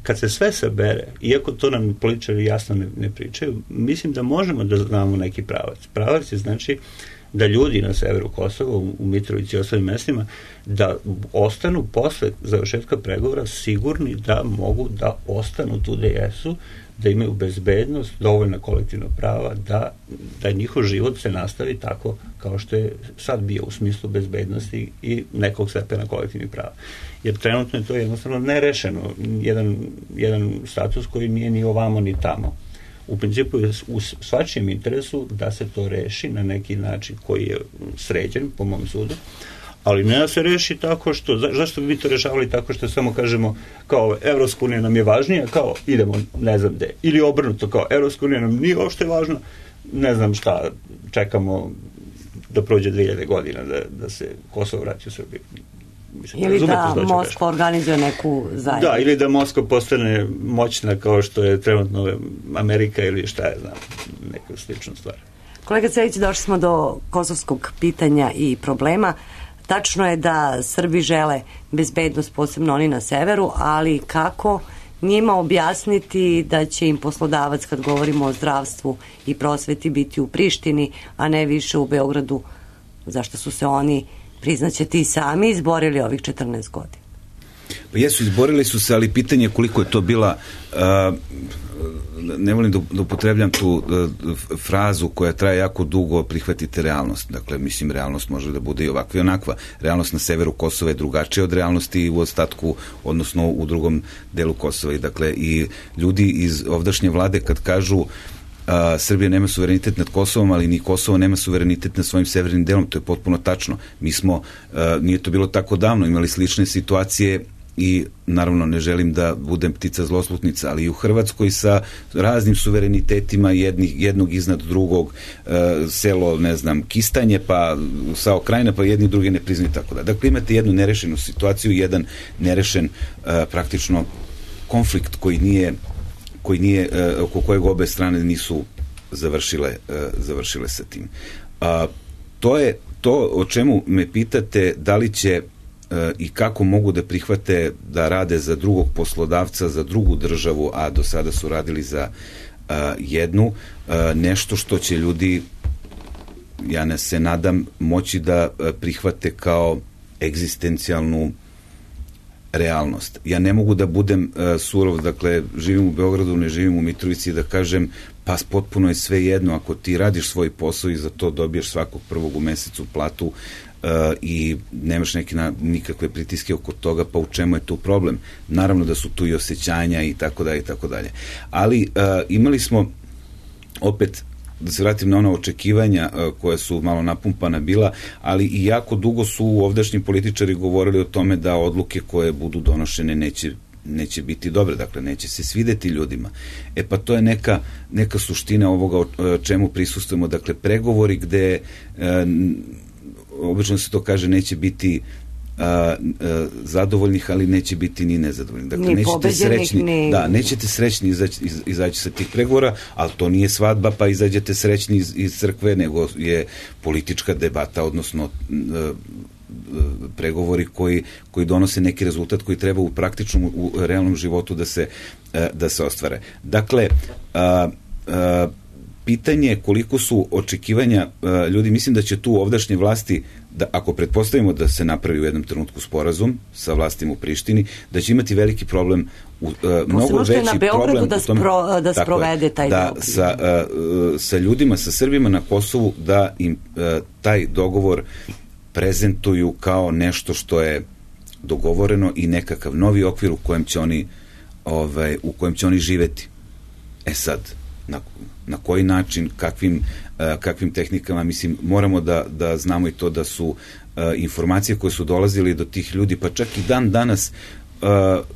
kad se sve sabere, iako to nam političari jasno ne, ne pričaju, mislim da možemo da znamo neki pravac. Pravac je znači da ljudi na severu Kosova, u Mitrovici i ostalim mestima, da ostanu posle završetka pregovora sigurni da mogu da ostanu tu gde jesu, da imaju bezbednost, dovoljna kolektivna prava, da, da njihov život se nastavi tako kao što je sad bio u smislu bezbednosti i nekog stepena kolektivnih prava. Jer trenutno je to jednostavno nerešeno. Jedan, jedan status koji nije ni ovamo ni tamo. U principu je u svačijem interesu da se to reši na neki način koji je sređen, po mom sudu, ali ne da se reši tako što, za, zašto bi mi to rešavali tako što samo kažemo kao Evropska unija nam je važnija, kao idemo ne znam gde, ili obrnuto kao Evropska unija nam nije uopšte važna, ne znam šta, čekamo da prođe dve hiljade godina da, da se Kosovo vrati u Srbiju. Mislim, ili da Moskva organizuje neku zajednicu. Da, ili da Moskva postane moćna kao što je trenutno Amerika ili šta je, znam, neka slična stvar. Kolega Cvejić, došli smo do kosovskog pitanja i problema. Tačno je da Srbi žele bezbednost, posebno oni na severu, ali kako njima objasniti da će im poslodavac, kad govorimo o zdravstvu i prosveti, biti u Prištini, a ne više u Beogradu, zašto su se oni, priznaće ti sami, izborili ovih četrnaest godina? Pa jesu, izborili su se, ali pitanje je koliko je to bila, uh, ne volim da, da upotrebljam tu uh, frazu koja traje jako dugo, prihvatite realnost. Dakle, mislim, realnost može da bude i ovakva i onakva. Realnost na severu Kosova je drugačija od realnosti u ostatku, odnosno u drugom delu Kosova. I, dakle, i ljudi iz ovdašnje vlade kad kažu Uh, Srbija nema suverenitet nad Kosovom, ali ni Kosovo nema suverenitet nad svojim severnim delom, to je potpuno tačno. Mi smo, uh, nije to bilo tako davno, imali slične situacije i naravno ne želim da budem ptica zloslutnica, ali i u Hrvatskoj sa raznim suverenitetima jednih, jednog iznad drugog, uh, selo, ne znam, Kistanje, pa Sao Krajina, pa jedni drugi ne priznaju, tako da. Dakle, imate jednu nerešenu situaciju, jedan nerešen uh, praktično konflikt koji nije koji nije, oko kojeg obe strane nisu završile, završile sa tim. A, to je to o čemu me pitate, da li će i kako mogu da prihvate da rade za drugog poslodavca, za drugu državu, a do sada su radili za a, jednu, a, nešto što će ljudi, ja ne se nadam, moći da prihvate kao egzistencijalnu realnost. Ja ne mogu da budem uh, surov, dakle, živim u Beogradu, ne živim u Mitrovici, da kažem, pa potpuno je sve jedno, ako ti radiš svoj posao i za to dobiješ svakog prvog u mesecu platu uh, i nemaš neki na, nikakve pritiske oko toga, pa u čemu je tu problem? Naravno da su tu i osjećanja i tako dalje i tako dalje. Ali uh, imali smo opet, da se vratim na ona očekivanja uh, koja su malo napumpana bila, ali i jako dugo su ovdašnji političari govorili o tome da odluke koje budu donošene neće, neće biti dobre, dakle neće se svideti ljudima. E pa to je neka, neka suština ovoga o čemu prisustujemo, dakle pregovori gde uh, obično se to kaže neće biti A, a, zadovoljnih, ali neće biti ni nezadovoljnih. Dakle, ni nećete srećni, ni... da, nećete srećni izaći, iz, izaći sa tih pregovora, ali to nije svadba pa izađete srećni iz, iz crkve, nego je politička debata, odnosno a, a, pregovori koji, koji donose neki rezultat koji treba u praktičnom, u realnom životu da se, a, da se ostvare. Dakle, a, a, pitanje je koliko su očekivanja a, ljudi, mislim da će tu ovdašnje vlasti, da ako pretpostavimo da se napravi u jednom trenutku sporazum sa vlastima u Prištini, da će imati veliki problem, u, uh, mnogo veći na problem da, u tome, spro, da sprovede taj da dogovor. Sa, uh, sa ljudima, sa Srbima na Kosovu, da im uh, taj dogovor prezentuju kao nešto što je dogovoreno i nekakav novi okvir u kojem će oni, ovaj, u kojem će oni živeti. E sad, na, na koji način, kakvim kakvim tehnikama, mislim, moramo da, da znamo i to da su uh, informacije koje su dolazile do tih ljudi, pa čak i dan danas uh,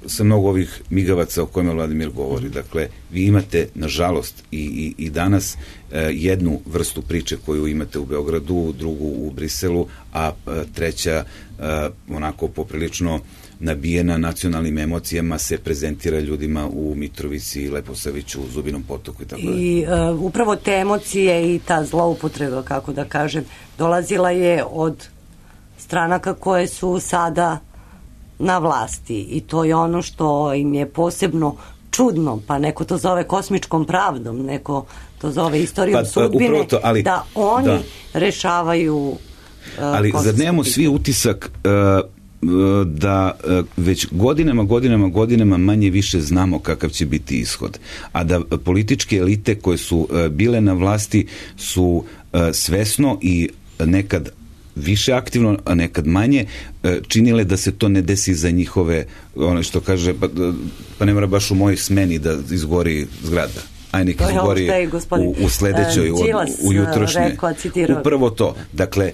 sa mnogo ovih migavaca o kojima Vladimir govori. Dakle, vi imate, nažalost, i, i, i danas uh, jednu vrstu priče koju imate u Beogradu, drugu u Briselu, a uh, treća uh, onako poprilično nabijena nacionalnim emocijama se prezentira ljudima u Mitrovici, Leposaviću, Zubinom Potoku i tako dalje. I uh, upravo te emocije i ta zloupotreba, kako da kažem, dolazila je od stranaka koje su sada na vlasti i to je ono što im je posebno čudno, pa neko to zove kosmičkom pravdom, neko to zove istorijom pa, sudbine, to, ali, da oni da. rešavaju uh, ali zar nemamo svi utisak uh, da već godinama, godinama, godinama manje više znamo kakav će biti ishod. A da političke elite koje su bile na vlasti su svesno i nekad više aktivno, a nekad manje, činile da se to ne desi za njihove, ono što kaže, pa, pa ne mora baš u mojoj smeni da izgori zgrada. Aj neki izgori u, u sledećoj, u, u jutrošnje. Upravo to. Dakle,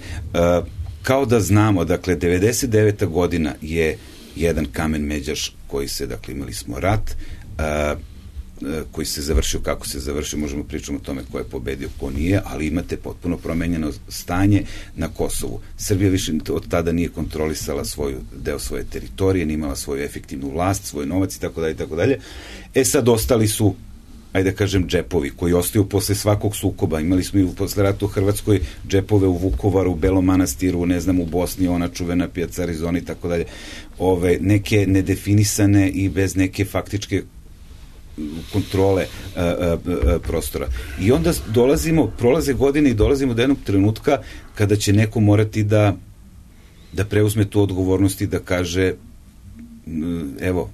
kao da znamo, dakle, devedeset deveta godina je jedan kamen međaš koji se, dakle, imali smo rat, a, koji se završio, kako se završio, možemo pričati o tome ko je pobedio, ko nije, ali imate potpuno promenjeno stanje na Kosovu. Srbija više od tada nije kontrolisala svoju, deo svoje teritorije, nije imala svoju efektivnu vlast, svoj novac i tako dalje i tako dalje. E sad ostali su, ajde da kažem, džepovi koji ostaju posle svakog sukoba. Imali smo i posle rata u Hrvatskoj džepove u Vukovaru, u Belom Manastiru, ne znam, u Bosni, ona čuvena pijaca Arizona i tako dalje. Ove, neke nedefinisane i bez neke faktičke kontrole a, a, a, prostora. I onda dolazimo, prolaze godine i dolazimo do jednog trenutka kada će neko morati da da preuzme tu odgovornost i da kaže evo,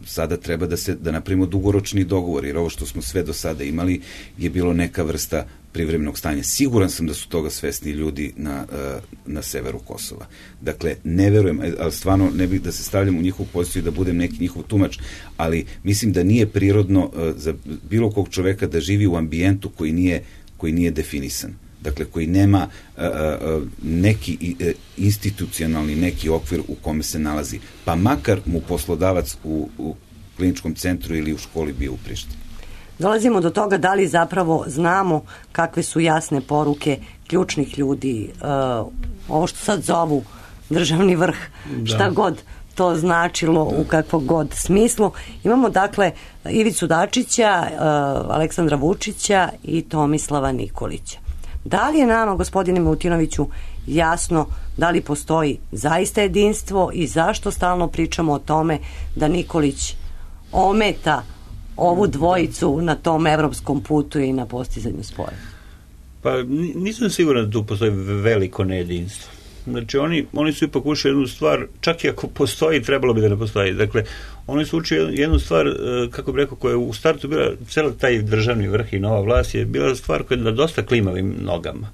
sada treba da se da napravimo dugoročni dogovor, jer ovo što smo sve do sada imali je bilo neka vrsta privremenog stanja. Siguran sam da su toga svesni ljudi na, na severu Kosova. Dakle, ne verujem, ali stvarno ne bih da se stavljam u njihovu poziciju i da budem neki njihov tumač, ali mislim da nije prirodno za bilo kog čoveka da živi u ambijentu koji nije, koji nije definisan. Dakle, koji nema a, a, neki a, institucionalni neki okvir u kome se nalazi. Pa makar mu poslodavac u, u kliničkom centru ili u školi bio u Prištini. Dolazimo do toga da li zapravo znamo kakve su jasne poruke ključnih ljudi. Uh, ovo što sad zovu državni vrh, da. Šta god to značilo u kakvog god smislu. Imamo dakle Ivicu Dačića, uh, Aleksandra Vučića i Tomislava Nikolića. Da li je nama, gospodine Milutinoviću, jasno da li postoji zaista jedinstvo i zašto stalno pričamo o tome da Nikolić ometa ovu dvojicu na tom evropskom putu i na postizanju spora? Pa nisam siguran da tu postoji veliko nejedinstvo. Znači oni, oni su ipak ušli jednu stvar, čak i ako postoji, trebalo bi da ne postoji. Dakle, oni su učili jednu stvar, kako bi rekao, koja je u startu bila, cela taj državni vrh i nova vlast je bila stvar koja je na dosta klimavim nogama.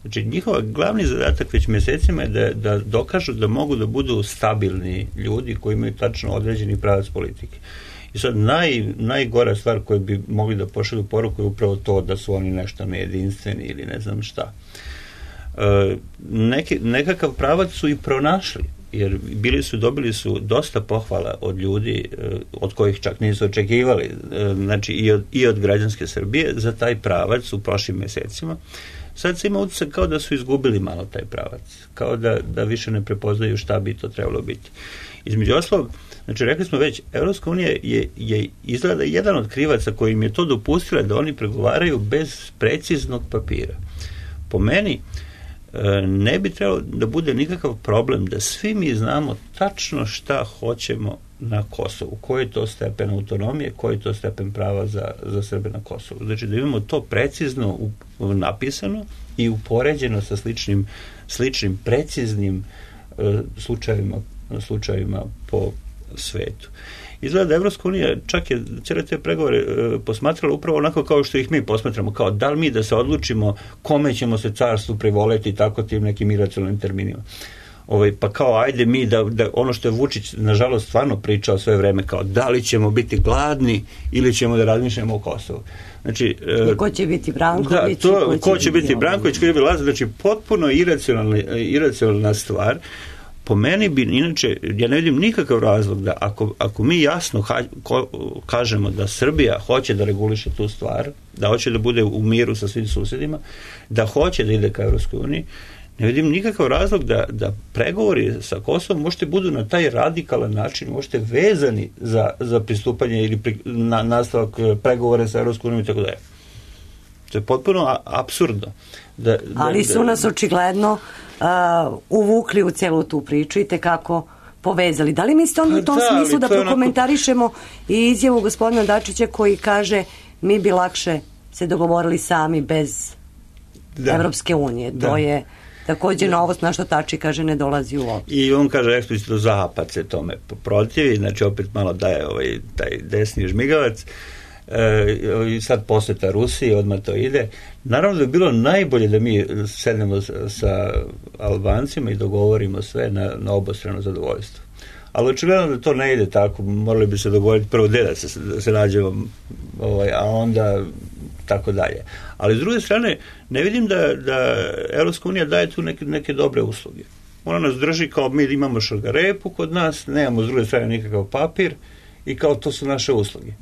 Znači, njihova glavni zadatak već mesecima je da, da dokažu da mogu da budu stabilni ljudi koji imaju tačno određeni pravac politike. I sad naj, najgora stvar koju bi mogli da pošalju poruku je upravo to da su oni nešto nejedinstveni ili ne znam šta. E, neki, nekakav pravac su i pronašli, jer bili su, dobili su dosta pohvala od ljudi e, od kojih čak nisu očekivali, e, znači i od, i od građanske Srbije za taj pravac u prošlim mesecima. Sad se ima utisak kao da su izgubili malo taj pravac, kao da, da više ne prepoznaju šta bi to trebalo biti. Između ostalog, znači rekli smo već, Evropska unija je, je izgleda jedan od krivaca koji im je to dopustila da oni pregovaraju bez preciznog papira. Po meni, ne bi trebalo da bude nikakav problem da svi mi znamo tačno šta hoćemo na Kosovu, koji je to stepen autonomije, koji je to stepen prava za, za Srbe na Kosovu. Znači da imamo to precizno u, napisano i upoređeno sa sličnim, sličnim preciznim uh, slučajevima, slučajevima po svetu. Izgleda da Evropska unija čak je cijele te pregovore e, posmatrala upravo onako kao što ih mi posmatramo, kao da li mi da se odlučimo kome ćemo se carstvu privoleti tako tim nekim iracionalnim terminima. Ovaj, pa kao ajde mi da, da ono što je Vučić nažalost stvarno pričao sve vreme, kao da li ćemo biti gladni ili ćemo da razmišljamo o Kosovu. Znači, e, ko će biti Branković? Da, to, ko, ko će biti Branković, ko će biti Lazar, znači potpuno iracionalna, iracionalna stvar. Po meni bi, inače, ja ne vidim nikakav razlog da ako, ako mi jasno ha, ko, kažemo da Srbija hoće da reguliše tu stvar, da hoće da bude u miru sa svim susjedima, da hoće da ide ka Evropskoj uniji, ne vidim nikakav razlog da, da pregovori sa Kosovom možete budu na taj radikalan način, možete vezani za, za pristupanje ili pri, na, nastavak pregovore sa Evropskom unijom i tako dalje. To je potpuno apsurdno. Da, da, ali su nas očigledno uh, uvukli u celu tu priču i tekako povezali. Da li mislite onda u tom da, smislu da prokomentarišemo onako... i izjavu gospodina Dačića koji kaže mi bi lakše se dogovorili sami bez da. Evropske unije. Da. To je također da. Novost na što Tači kaže ne dolazi u obzir. I on kaže eksplicitno Zapad se tome protivi, znači opet malo daje ovaj, taj desni žmigavac. E, sad posjeta Rusiji, odmah to ide. Naravno da bi bilo najbolje da mi sednemo sa, sa Albancima i dogovorimo sve na, na obostrano zadovoljstvo. Ali očigledno da to ne ide tako, morali bi se dogovoriti prvo gde da se, da se nađemo, ovaj, a onda tako dalje. Ali s druge strane, ne vidim da, da Evropska unija daje tu neke, neke dobre usluge. Ona nas drži kao mi imamo šargarepu kod nas, nemamo s druge strane nikakav papir i kao to su naše usluge.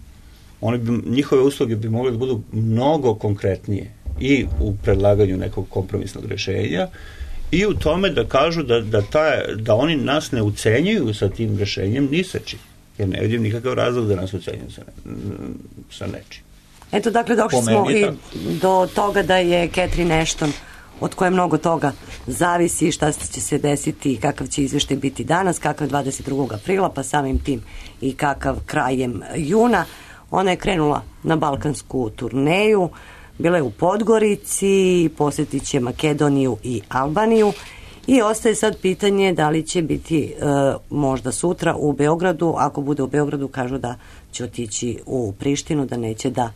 Oni bi, njihove usluge bi mogle da budu mnogo konkretnije i u predlaganju nekog kompromisnog rešenja i u tome da kažu da, da, ta, da oni nas ne ucenjuju sa tim rešenjem ni sa čim. Jer ne vidim nikakav razlog da nas ucenjuju sa, ne, sa nečim. Eto, dakle, došli smo i do toga da je Catherine Ashton, od koje mnogo toga zavisi, šta će se desiti, kakav će izveštaj biti danas, kakav dvadeset drugog aprila, pa samim tim i kakav krajem juna. Ona je krenula na balkansku turneju, bila je u Podgorici, posjetit će Makedoniju i Albaniju i ostaje sad pitanje da li će biti e, možda sutra u Beogradu. Ako bude u Beogradu, kažu da će otići u Prištinu, da neće da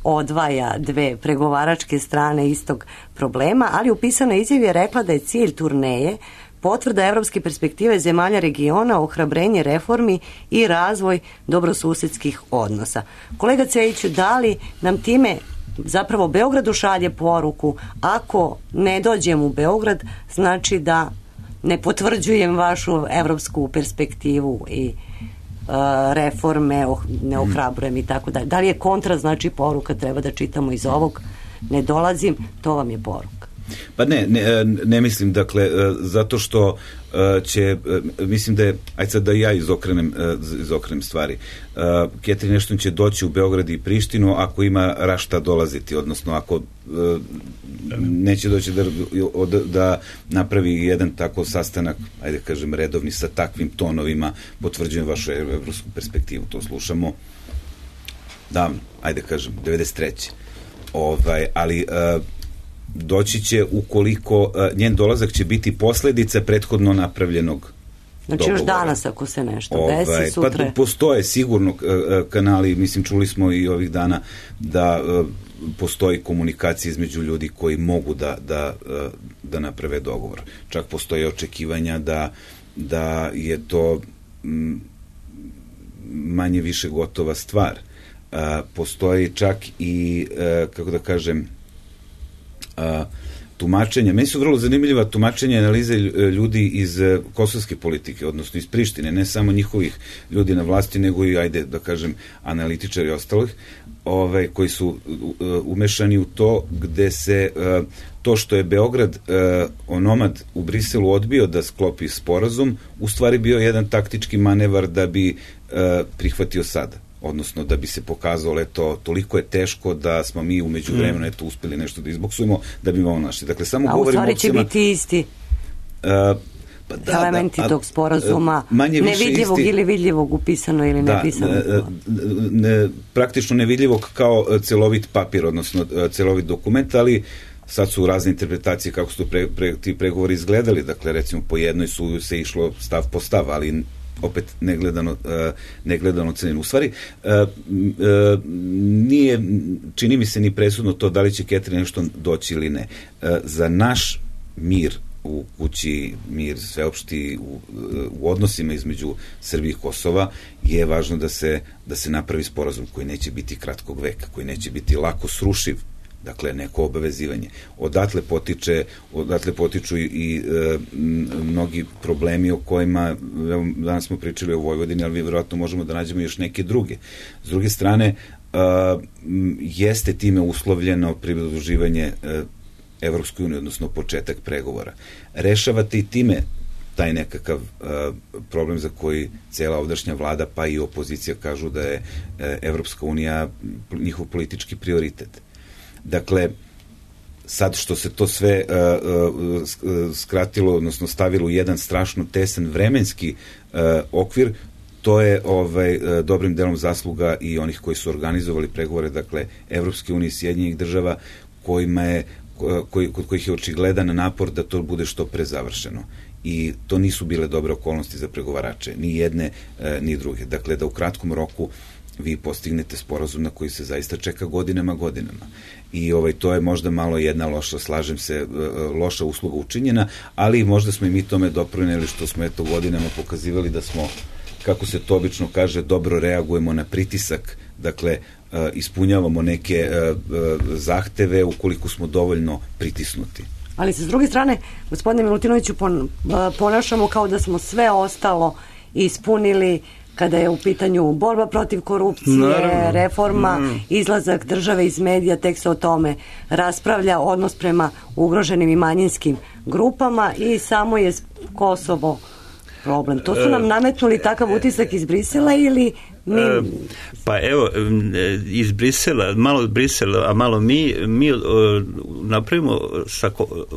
odvaja dve pregovaračke strane istog problema, ali u pisanoj izjavi je rekla da je cilj turneje potvrda evropske perspektive zemalja regiona, ohrabrenje reformi i razvoj dobrosusedskih odnosa. Kolega Cvejiću, da li nam time zapravo Beogradu šalje poruku, ako ne dođem u Beograd, znači da ne potvrđujem vašu evropsku perspektivu i reforme, ne ohrabrujem i tako dalje. Da li je kontra, znači poruka, treba da čitamo iz ovog, ne dolazim, to vam je poruka. Pa ne, ne, ne mislim, dakle, zato što će, mislim da je, ajde sad da ja izokrenem, izokrenem stvari. Catherine Ashton će doći u Beograd i Prištinu ako ima rašta dolaziti, odnosno ako neće doći da, da napravi jedan tako sastanak, ajde kažem, redovni sa takvim tonovima, potvrđujem vašu evropsku perspektivu, to slušamo davno, ajde kažem, devedeset treće Ovaj, ali doći će ukoliko njen dolazak će biti posledica prethodno napravljenog znači dogovora. Još danas ako se nešto ovaj, desi sutra. Pa postoje sigurno kanali, mislim čuli smo i ovih dana da postoji komunikacija između ljudi koji mogu da, da, da naprave dogovor. Čak postoje očekivanja da, da je to manje više gotova stvar. Postoji čak i, kako da kažem, A, tumačenja. Meni su vrlo zanimljiva tumačenja i analize ljudi iz kosovske politike, odnosno iz Prištine, ne samo njihovih ljudi na vlasti, nego i, ajde da kažem, analitičari i ostalih, ovaj, koji su uh, umešani u to gde se uh, to što je Beograd uh, onomad u Briselu odbio da sklopi sporazum, u stvari bio jedan taktički manevar da bi uh, prihvatio sada, odnosno da bi se pokazalo, eto, toliko je teško da smo mi umeđu vremena eto uspeli nešto da izboksujemo, da bi imamo našli. Dakle, samo a u stvari će biti isti uh, pa da, elementi da, a, tog sporazuma, nevidljivog isti, ili vidljivog upisano ili da, nepisano. Ne, ne, praktično nevidljivog kao celovit papir, odnosno celovit dokument, ali sad su razne interpretacije kako su pre, pre, ti pregovori izgledali. Dakle, recimo, po jednoj su se išlo stav po stav, ali opet negledano, uh, negledano cenjeno. U stvari, uh, uh, nije, čini mi se ni presudno to da li će Catherine Ashton doći ili ne. Uh, za naš mir u kući, mir sveopšti u, u odnosima između Srbije i Kosova je važno da se, da se napravi sporazum koji neće biti kratkog veka, koji neće biti lako srušiv. Dakle, neko obavezivanje. Odatle potiče, odatle potiču i, i e, mnogi problemi o kojima, evo, danas smo pričali o Vojvodini, ali vi vjerojatno možemo da nađemo još neke druge. S druge strane, e, jeste time uslovljeno pridruživanje e, Evropskoj uniji, odnosno početak pregovora. Rešavate i time taj nekakav e, problem za koji cijela ovdašnja vlada, pa i opozicija kažu da je e, Evropska unija njihov politički prioritet. Dakle, sad što se to sve uh, uh, skratilo, odnosno stavilo u jedan strašno tesen vremenski uh, okvir, to je ovaj, uh, dobrim delom zasluga i onih koji su organizovali pregovore, dakle, Evropske unije i Sjedinjenih država, kojima je, koji, kod kojih je očigledan napor da to bude što pre završeno. I to nisu bile dobre okolnosti za pregovarače, ni jedne, uh, ni druge. Dakle, da u kratkom roku vi postignete sporazum na koji se zaista čeka godinama, godinama. I ovaj, to je možda malo jedna loša, slažem se, loša usluga učinjena, ali možda smo i mi tome doprineli što smo eto godinama pokazivali da smo, kako se to obično kaže, dobro reagujemo na pritisak, dakle, ispunjavamo neke zahteve ukoliko smo dovoljno pritisnuti. Ali se s druge strane, gospodine Milutinoviću, ponašamo kao da smo sve ostalo ispunili kada je u pitanju borba protiv korupcije, naravno, reforma, mm. izlazak države iz medija, tek se o tome raspravlja, odnos prema ugroženim i manjinskim grupama i samo je Kosovo problem? To su nam nametnuli takav utisak iz Brisela ili mi... E, pa evo, iz Brisela, malo Brisela, a malo mi, mi uh, napravimo, sa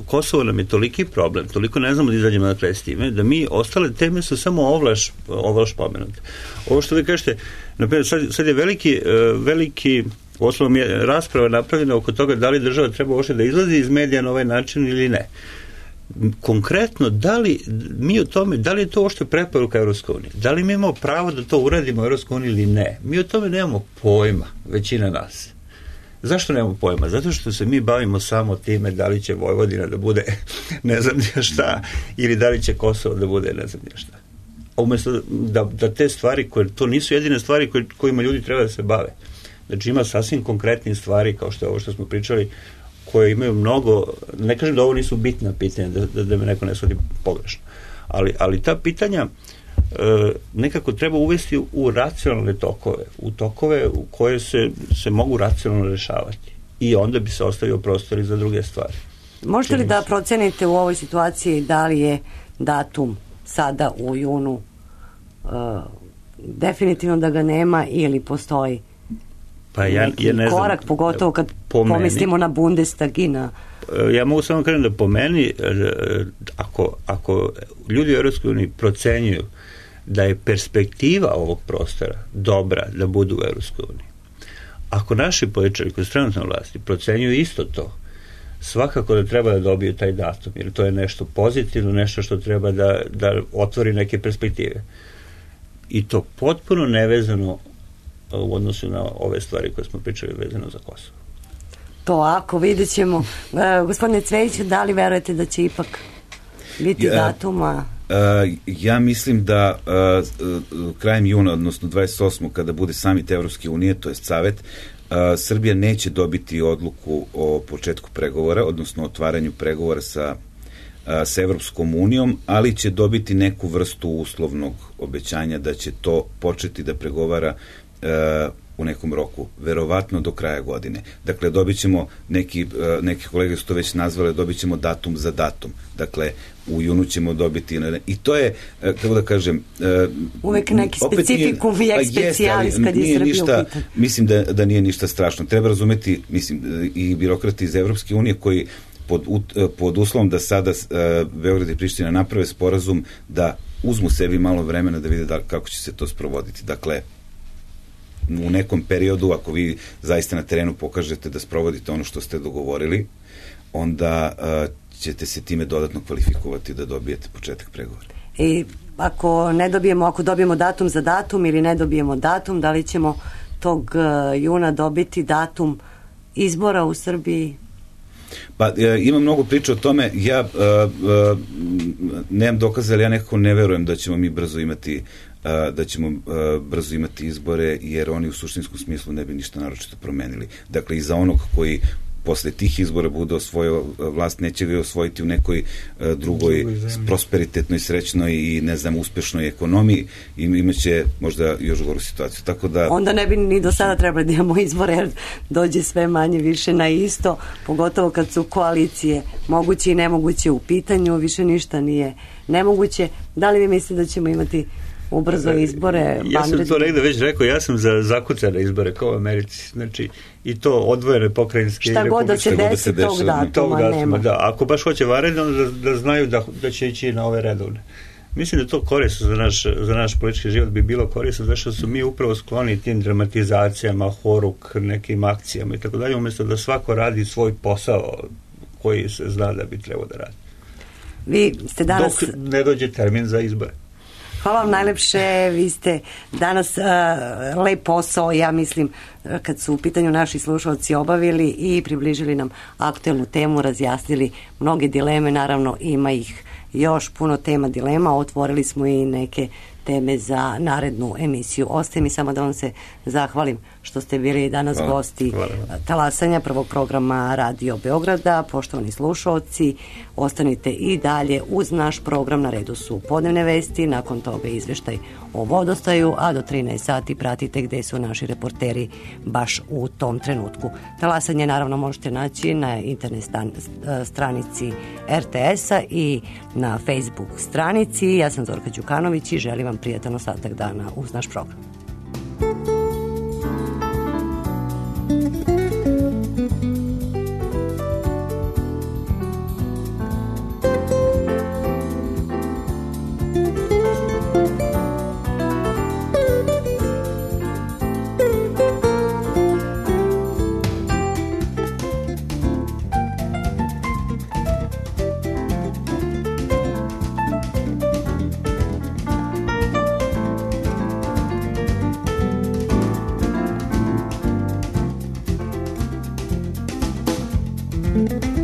Kosovo nam je toliki problem, toliko ne znamo da izađemo na kraj s time, da mi ostale teme su samo ovlaš, ovlaš pomenute. Ovo što vi kažete, naprimjer, sad, sad je veliki, uh, veliki osnovom je rasprava napravljena oko toga da li država treba uopšte da izlazi iz medija na ovaj način ili ne. Konkretno, da li mi o tome, da li je to uopšte preporuka Evropske unije? Da li mi imamo pravo da to uradimo u Evropskoj uniji ili ne? Mi o tome nemamo pojma, većina nas. Zašto nemamo pojma? Zato što se mi bavimo samo time da li će Vojvodina da bude ne znam nije šta ili da li će Kosovo da bude ne znam nije šta. Umesto da, da te stvari, koje, to nisu jedine stvari koje, kojima ljudi treba da se bave. Znači ima sasvim konkretne stvari kao što je ovo što smo pričali, koje imaju mnogo, ne kažem da ovo nisu bitna pitanja, da, da, da me neko ne shvati pogrešno, ali, ali ta pitanja e, nekako treba uvesti u racionalne tokove, u tokove u koje se, se mogu racionalno rešavati i onda bi se ostavio prostor i za druge stvari. Možete li da procenite u ovoj situaciji da li je datum sada u junu uh, definitivno da ga nema ili postoji pa ja, ja ne znam, korak, pogotovo kad po pomislimo meni, na Bundestag i na... Ja mogu samo kažem da po meni, ako, ako ljudi u Evropskoj uniji procenjuju da je perspektiva ovog prostora dobra da budu u Evropskoj uniji, ako naši političari koji su trenutno na vlasti procenjuju isto to, svakako da treba da dobiju taj datum, jer to je nešto pozitivno, nešto što treba da, da otvori neke perspektive. I to potpuno nevezano u odnosu na ove stvari koje smo pričali vezano za Kosovo. To ako vidjet ćemo. E, gospodine Cvejić, da li verujete da će ipak biti ja, datuma? Uh, ja mislim da uh, krajem juna, odnosno dvadeset osmog kada bude samit Evropske unije, to je Savet, uh, Srbija neće dobiti odluku o početku pregovora, odnosno otvaranju pregovora sa, uh, sa Evropskom unijom, ali će dobiti neku vrstu uslovnog obećanja da će to početi da pregovara uh, u nekom roku, verovatno do kraja godine. Dakle, dobit ćemo, neki, neki kolege su to već nazvali, dobit ćemo datum za datum. Dakle, u junu ćemo dobiti, i to je, kako da kažem... Uvek neki specifikum i ekspecijalis kad je Srbija u pitanju. Mislim da, da nije ništa strašno. Treba razumeti, mislim, i birokrati iz Evropske unije koji pod, pod uslovom da sada Beograd i Priština naprave sporazum da uzmu sebi malo vremena da vide da, kako će se to sprovoditi. Dakle, u nekom periodu, ako vi zaista na terenu pokažete da sprovodite ono što ste dogovorili, onda uh, ćete se time dodatno kvalifikovati da dobijete početak pregovora. I ako ne dobijemo, ako dobijemo datum za datum ili ne dobijemo datum, da li ćemo tog uh, juna dobiti datum izbora u Srbiji? Pa e, ima mnogo priča o tome, ja e, e, nemam dokaza, ali ja nekako ne verujem da ćemo mi brzo imati e, da ćemo e, brzo imati izbore, jer oni u suštinskom smislu ne bi ništa naročito promenili. Dakle, i za onog koji posle tih izbora bude osvojio vlast, neće ga osvojiti u nekoj uh, drugoj prosperitetnoj, srećnoj i ne znam, uspešnoj ekonomiji i imaće možda još goru situaciju. Tako da... Onda ne bi ni do sada trebali da imamo izbore, jer dođe sve manje više na isto, pogotovo kad su koalicije moguće i nemoguće u pitanju, više ništa nije nemoguće. Da li vi mislite da ćemo imati ubrzo izbore? Ja sam to negde već rekao, ja sam za zakucane izbore kao u Americi, znači i to odvojene pokrajinske šta god da se desi tog datuma, tog datuma nema. Da, ako baš hoće vanredno, da, da znaju da, da će ići na ove redovne. Mislim da to korisno za naš, za naš politički život bi bilo korisno, zašto su mi upravo skloni tim dramatizacijama, horuk, nekim akcijama i tako dalje, umjesto da svako radi svoj posao koji se zna da bi trebao da radi. Vi ste danas... Dok ne dođe termin za izbore. Hvala vam najlepše, vi ste danas uh, lep posao, ja mislim, kad su u pitanju naši slušalci obavili i približili nam aktuelnu temu, razjasnili mnoge dileme, naravno ima ih još puno tema dilema, otvorili smo i neke teme za narednu emisiju. Ostaje mi samo da vam se zahvalim što ste bili danas Hvala. gosti Hvala. Talasanja, prvog programa Radio Beograda. Poštovani slušaoci, ostanite i dalje uz naš program. Na redu su podnevne vesti, nakon toga izveštaj o vodostaju, a do trinaest sati pratite gde su naši reporteri baš u tom trenutku. Talasanje naravno možete naći na internet stan, stranici er te es-a i na Facebook stranici. Ja sam Zorka Đukanović i želim vam prijatan ostatak dana uz naš program. Thank you.